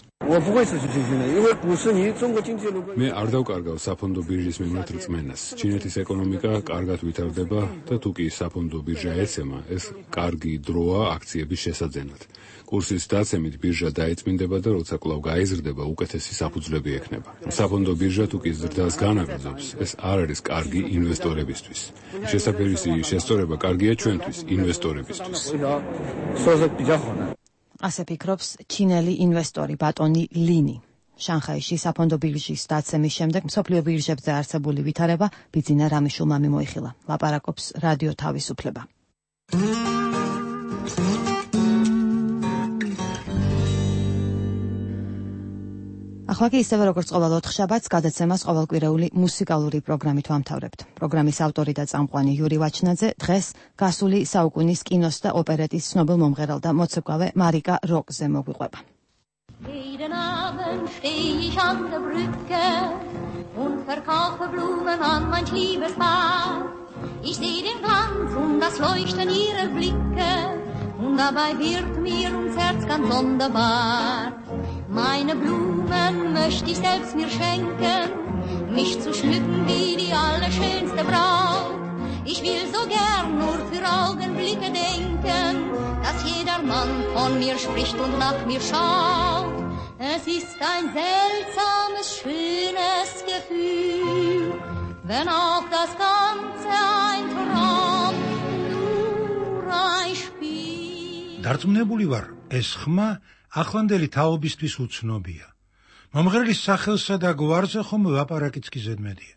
მე არ დავკარგავ საფონდო ბირჟის მიმართ რწმენას. ჩინეთის ეკონომიკა კარგად ვითარდება და თუ კი საფონდო ბირჟა ეცემა, ეს კარგი დროა აქციების შესაძენად. კურსის დაცემით ბირჟა დაიწმინდება და როცა კვლავ გაიზრდება, უკეთესი საფუძვლები ექნება. საფონდო ბირჟა თუ კი ზრდას განაგრძობს, ეს არ არის კარგი ინვესტორებისთვის. შესაძლებელია შესწორება კარგია ჩვენთვის, ინვესტორებისთვის. ასე ფიქრობს ჩინელი ინვესტორი ბატონი ლინი. შანხაიში საფონდო ბირჟის დაცემის შემდეგ მსოფლიო ბირჟებზე არსებული ვითარება ბიძინა რამიშულმა მიმოიხილა. ლაპარაკობს რადიო თავისუფლება. ახლა კი ისევე როგორც ყოველ ოთხშაბათს გადაცემას ყოველკვირეული მუსიკალური პროგრამით ვამთავრებთ. პროგრამის ავტორი და წამყვანი იური ვაჩნაძე დღეს გასული საუკუნის კინოს და ოპერეტის ცნობილ მომღერალ და მოცეკვავე მარიკა როკზე მოგვიყვება. Jeden Abend steh ich an der Brücke und verkaufe Blumen an mein liebes Paar. Ich seh den Glanz und das Leuchten ihrer Blicke und dabei wird mir ums Herz ganz sonderbar. Meine Blumen möchte ich selbst mir schenken, mich zu schmücken wie die allerschönste Braut. Ich will so gern nur für Augenblicke denken, dass jeder Mann von mir spricht und nach mir schaut. Es ist ein seltsames, schönes Gefühl, wenn auch das Ganze ein Traum, nur ein Spiel. დარწმუნებული ვარ, ეს ხმა ახლანდელი თაობისთვის უცნობია. მომღერლის სახელსა და გვარზე ხომ ლაპარაკიც კი ზედმეტია.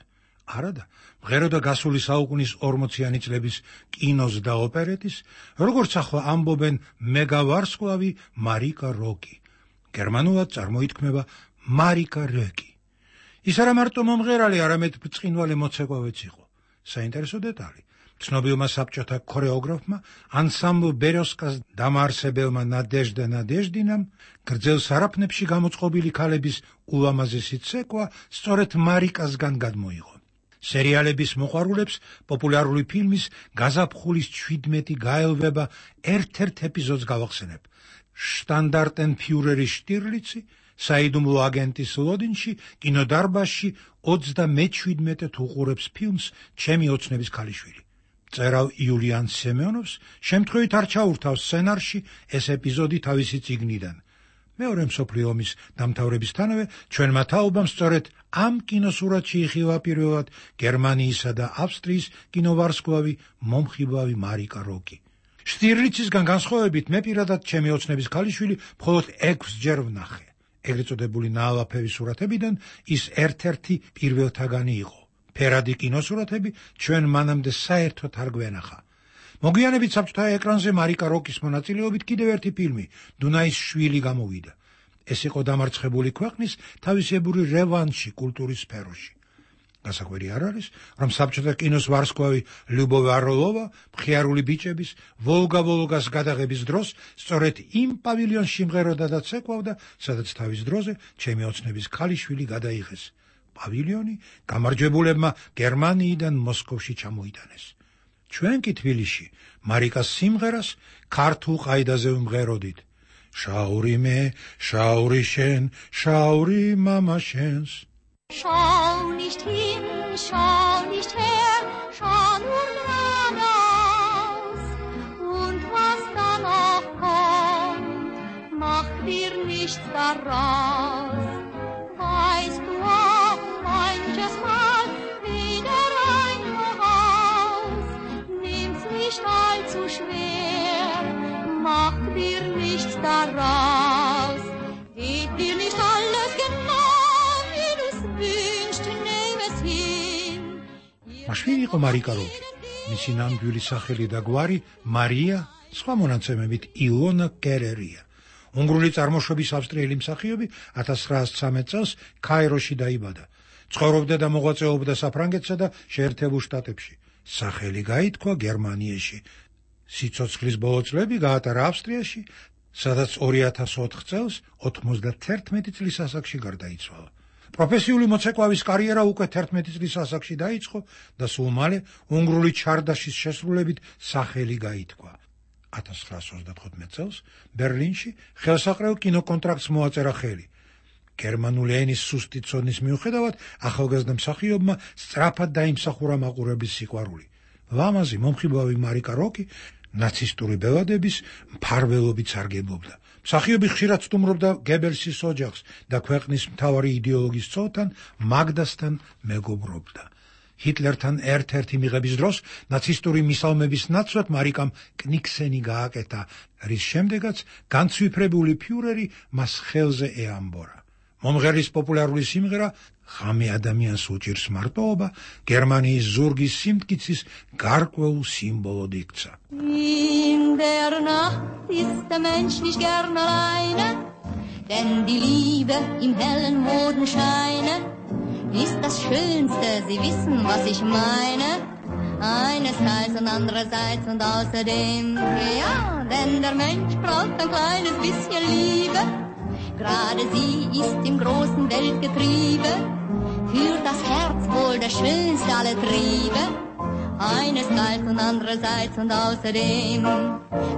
არადა, მღეროდა გასული საუკუნის ორმოციანი წლების კინოს და ოპერეტის, როგორც ახლა ამბობენ მეგავარსკვლავი მარიკა როკი. გერმანულად წარმოითქმება მარიკა როკი. ის არა მარტო მომღერალი, არამედ ბრწყინვალე მოცეკვავეც იყო. საინტერესო დეტალი. ცნობილმა საბჭოთა ქორეოგრაფმა ანსამბლ ბეროსკას დამაარსებელმა ნადეჟდა ნადეჟდინამ გრძელ სარაფნებში გამოწყობილი ქალების ულამაზესი ცეკვა სწორედ მარიკასგან გადმოიღო. სერიალების მოყვარულებს პოპულარული ფილმის გაზაფხულის ჩვიდმეტი გაელვება ერთ-ერთ ეპიზოდს გავახსენებ. შტანდარტენფიურერის შტირლიცი საიდუმლო აგენტის ლოდინში კინოდარბაზში ოცდამეჩვიდმეტად უყურებს ფილმს ჩემი ოცნების ქალიშვილი. წერალ იულიან სემეონოვს შემთხვევით არ ჩაურთავს სცენარში ეს ეპიზოდი თავისი წიგნიდან. მეორე მსოფლიო ომის დამთავრებისთანავე ჩვენმა თაობამ სწორედ ამ კინოსურათში იხილა პირველად გერმანიისა და ავსტრიის კინოვარსკვლავი მომხიბლავი მარიკა როკი. შტირლიცისგან განსხვავებით მე პირადად ჩემი ოცნების ქალიშვილი მხოლოდ ექვსჯერ ვნახე. ეგრეთ წოდებული ნაალაფერი სურათებიდან ის ერთ-ერთი პირველთაგანი იყო. ფერადი კინოსურათები ჩვენ მანამდე საერთოდ არ გვენახა. მოგვიანებით საბჭოთა ეკრანზე მარიკა როკის მონაწილეობით კიდევ ერთი ფილმი დუნაის შვილი გამოვიდა. ეს იყო დამარცხებული ქვეყნის თავისებური რევანში კულტურის სფეროში. გასაკვირი არ არის, რომ საბჭოთა კინოს ვარსკვლავი ლიუბოვ არლოვა მხიარული ბიჭების ვოლგა-ვოლგას გადაღების დროს სწორედ იმ პავილიონში იმღეროდა და ცეკვავდა, სადაც თავის დროზე ჩემი ოცნების ქალიშვილი გადაიღეს. პავილიონი გამარჯვებულებმა გერმანიიდან მოსკოვში ჩამოიტანეს. ჩვენ კი თბილისში მარიკას სიმღერას ქართულ ყაიდაზე ვმღეროდით. შაური მე, შაური შენ, შაური მამა შენს. Schau nicht hin, schau nicht her, schau nur geradeaus. Und was da noch kommt, mach dir nichts daraus. Weißt du auch manches Mal wieder ein Voraus. Nimm's nicht allzu schwer, mach dir nichts daraus. Geht dir nicht alles genau. მაშვილი იყო მარიკა როკი. მისი ნამდვილი სახელი და გვარი მარია, სხვა მონაცემებით ილონა კერერია. უნგრული წარმოშობის ავსტრიელი მსახიობი ათას ცხრაასი ცხრამეტ წელს ქაიროში დაიბადა. ცხოვრობდა და მოღვაწეობდა საფრანგეთსა და შეერთებულ შტატებში. სახელი გაითქვა გერმანიაში. სიცოცხლის ბოლო წლები გაატარა ავსტრიაში, სადაც ორი ათას ოთხ წელს ოთხმოცდათერთმეტი წლის ასაკში გარდაიცვალა. პროფესიული მოცეკვავის კარიერა უკვე თერთმეტი წლის ასაკში დაიწყო და სულ მალე უნგრული ჩარდაშის შესრულებით სახელი გაითქვა. ათას ცხრაასი ოცდათხუთმეტ წელს ბერლინში ხელსაყრელ კინოკონტრაქტს მოაწერა ხელი. გერმანული ენის სუსტი ცოდნის მიუხედავად ახალგაზრდა მსახიობმა სწრაფად დაიმსახურა მაყურებლის სიყვარული. ლამაზი მომხიბლავი მარიკა როკი ნაცისტური ბელადების მფარველობით სარგებლობდა. მსახიობი ხშირად სტუმრობდა გებელსის ოჯახს და ქვეყნის მთავარი იდეოლოგის ცოლთან მაგდასთან მეგობრობდა. ჰიტლერთან ერთ-ერთი მიღების დროს ნაცისტური მისალმების ნაცვლად მარიკამ კნიქსენი გააკეთა, რის შემდეგაც განცვიფრებული ფიურერი მას ხელზე ეამბორა. მომღერლის პოპულარული სიმღერა ღამე ადამიანს უჭირს მარტოობა გერმანიის ზურგის სიმტკიცის გარკვეულ სიმბოლოდ იქცა. In der Nacht ist der Mensch nicht gern alleine, denn die Liebe im hellen Mondenscheine ist das Schönste, Sie wissen, was ich meine. Einerseits und andererseits und außerdem, ja, denn der Mensch braucht ein kleines bisschen Liebe. Gerade sie ist im großen Weltgetriebe, für das Herz wohl der schönste aller Triebe. Einerseits und andererseits und außerdem,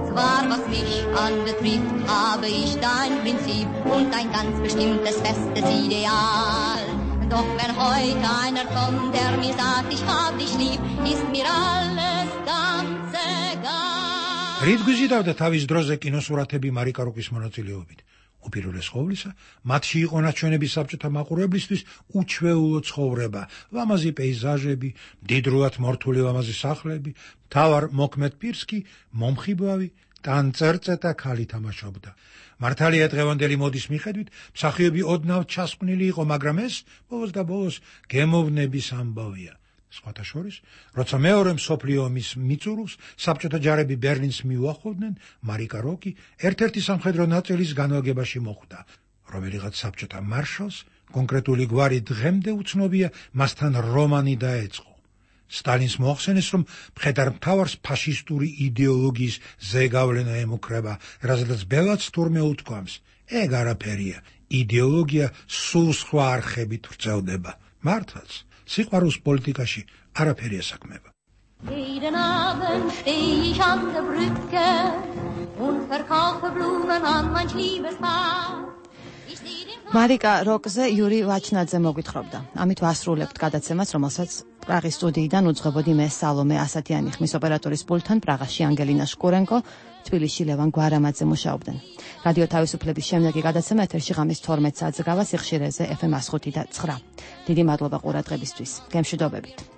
zwar was mich anbetrifft, habe ich da ein Prinzip und ein ganz bestimmtes festes Ideal. Doch wenn heute einer kommt, der mir sagt, ich hab dich lieb, ist mir alles ganz egal. რით გვიზიდავდა თავის დროზე კინოსურათები მარიკა როკის მონაწილეობით? უპირველეს ყოვლისა, მათში იყო ნაჩვენები საბჭოთა მაყურებლისთვის უჩვეულო ცხოვრება, ლამაზი პეიზაჟები, მდიდრულად მორთული ლამაზი სახლები, მთავარ მოქმედ პირს კი მომხიბლავი ტანწერწეტა ქალი თამაშობდა. მართალია დღევანდელი მოდის მიხედვით, მსახიობი ოდნავ ჩასყვნილი იყო, მაგრამ ეს ბოლოს და ბოლოს გემოვნების ამბავია. სხვათა შორის, როცა მეორე მსოფლიო ომის მიწურულს საბჭოთა ჯარები ბერლინს მიუახლოვდნენ, მარიკა როკი ერთ-ერთი სამხედრო ნაწილის განლაგებაში მოხვდა. რომელიღაც საბჭოთა მარშალს კონკრეტული გვარი დღემდე უცნობია, მასთან რომანი დაეწყო. სტალინს მოახსენეს, რომ მხედართმთავარს ფაშისტური იდეოლოგიის ზეგავლენა ემუქრება, რაზედაც ბელადს თურმე უთქვამს. ეგ არაფერია, იდეოლოგია სულ სხვა არხებით ვრცელდება. მართლაც სიყვარულს პოლიტიკაში არაფერი ესაქმება. Jeden Abend steh ich an der Brücke und verkaufe Blumen an mein liebes Paar. მარიკა როკზე იური ვაჩნაძე მოგვითხრობდა. ამით ვასრულებთ გადაცემას, რომელსაც პრაღის სტუდიიდან უძღვებოდი მე სალომე ასათიანი ხმის ოპერატორის პულტთან პრაღაში ანგელინა შკურენკო, თბილისში ლევან გვარამაძე მუშაობდნენ. რადიო თავისუფლების შემდეგი გადაცემა ეთერში ღამის თორმეტ საათზე გავა სიხშირეზე ეფ ემ one oh five და nine. დიდი მადლობა ყურადღებისთვის. გემშვიდობებით.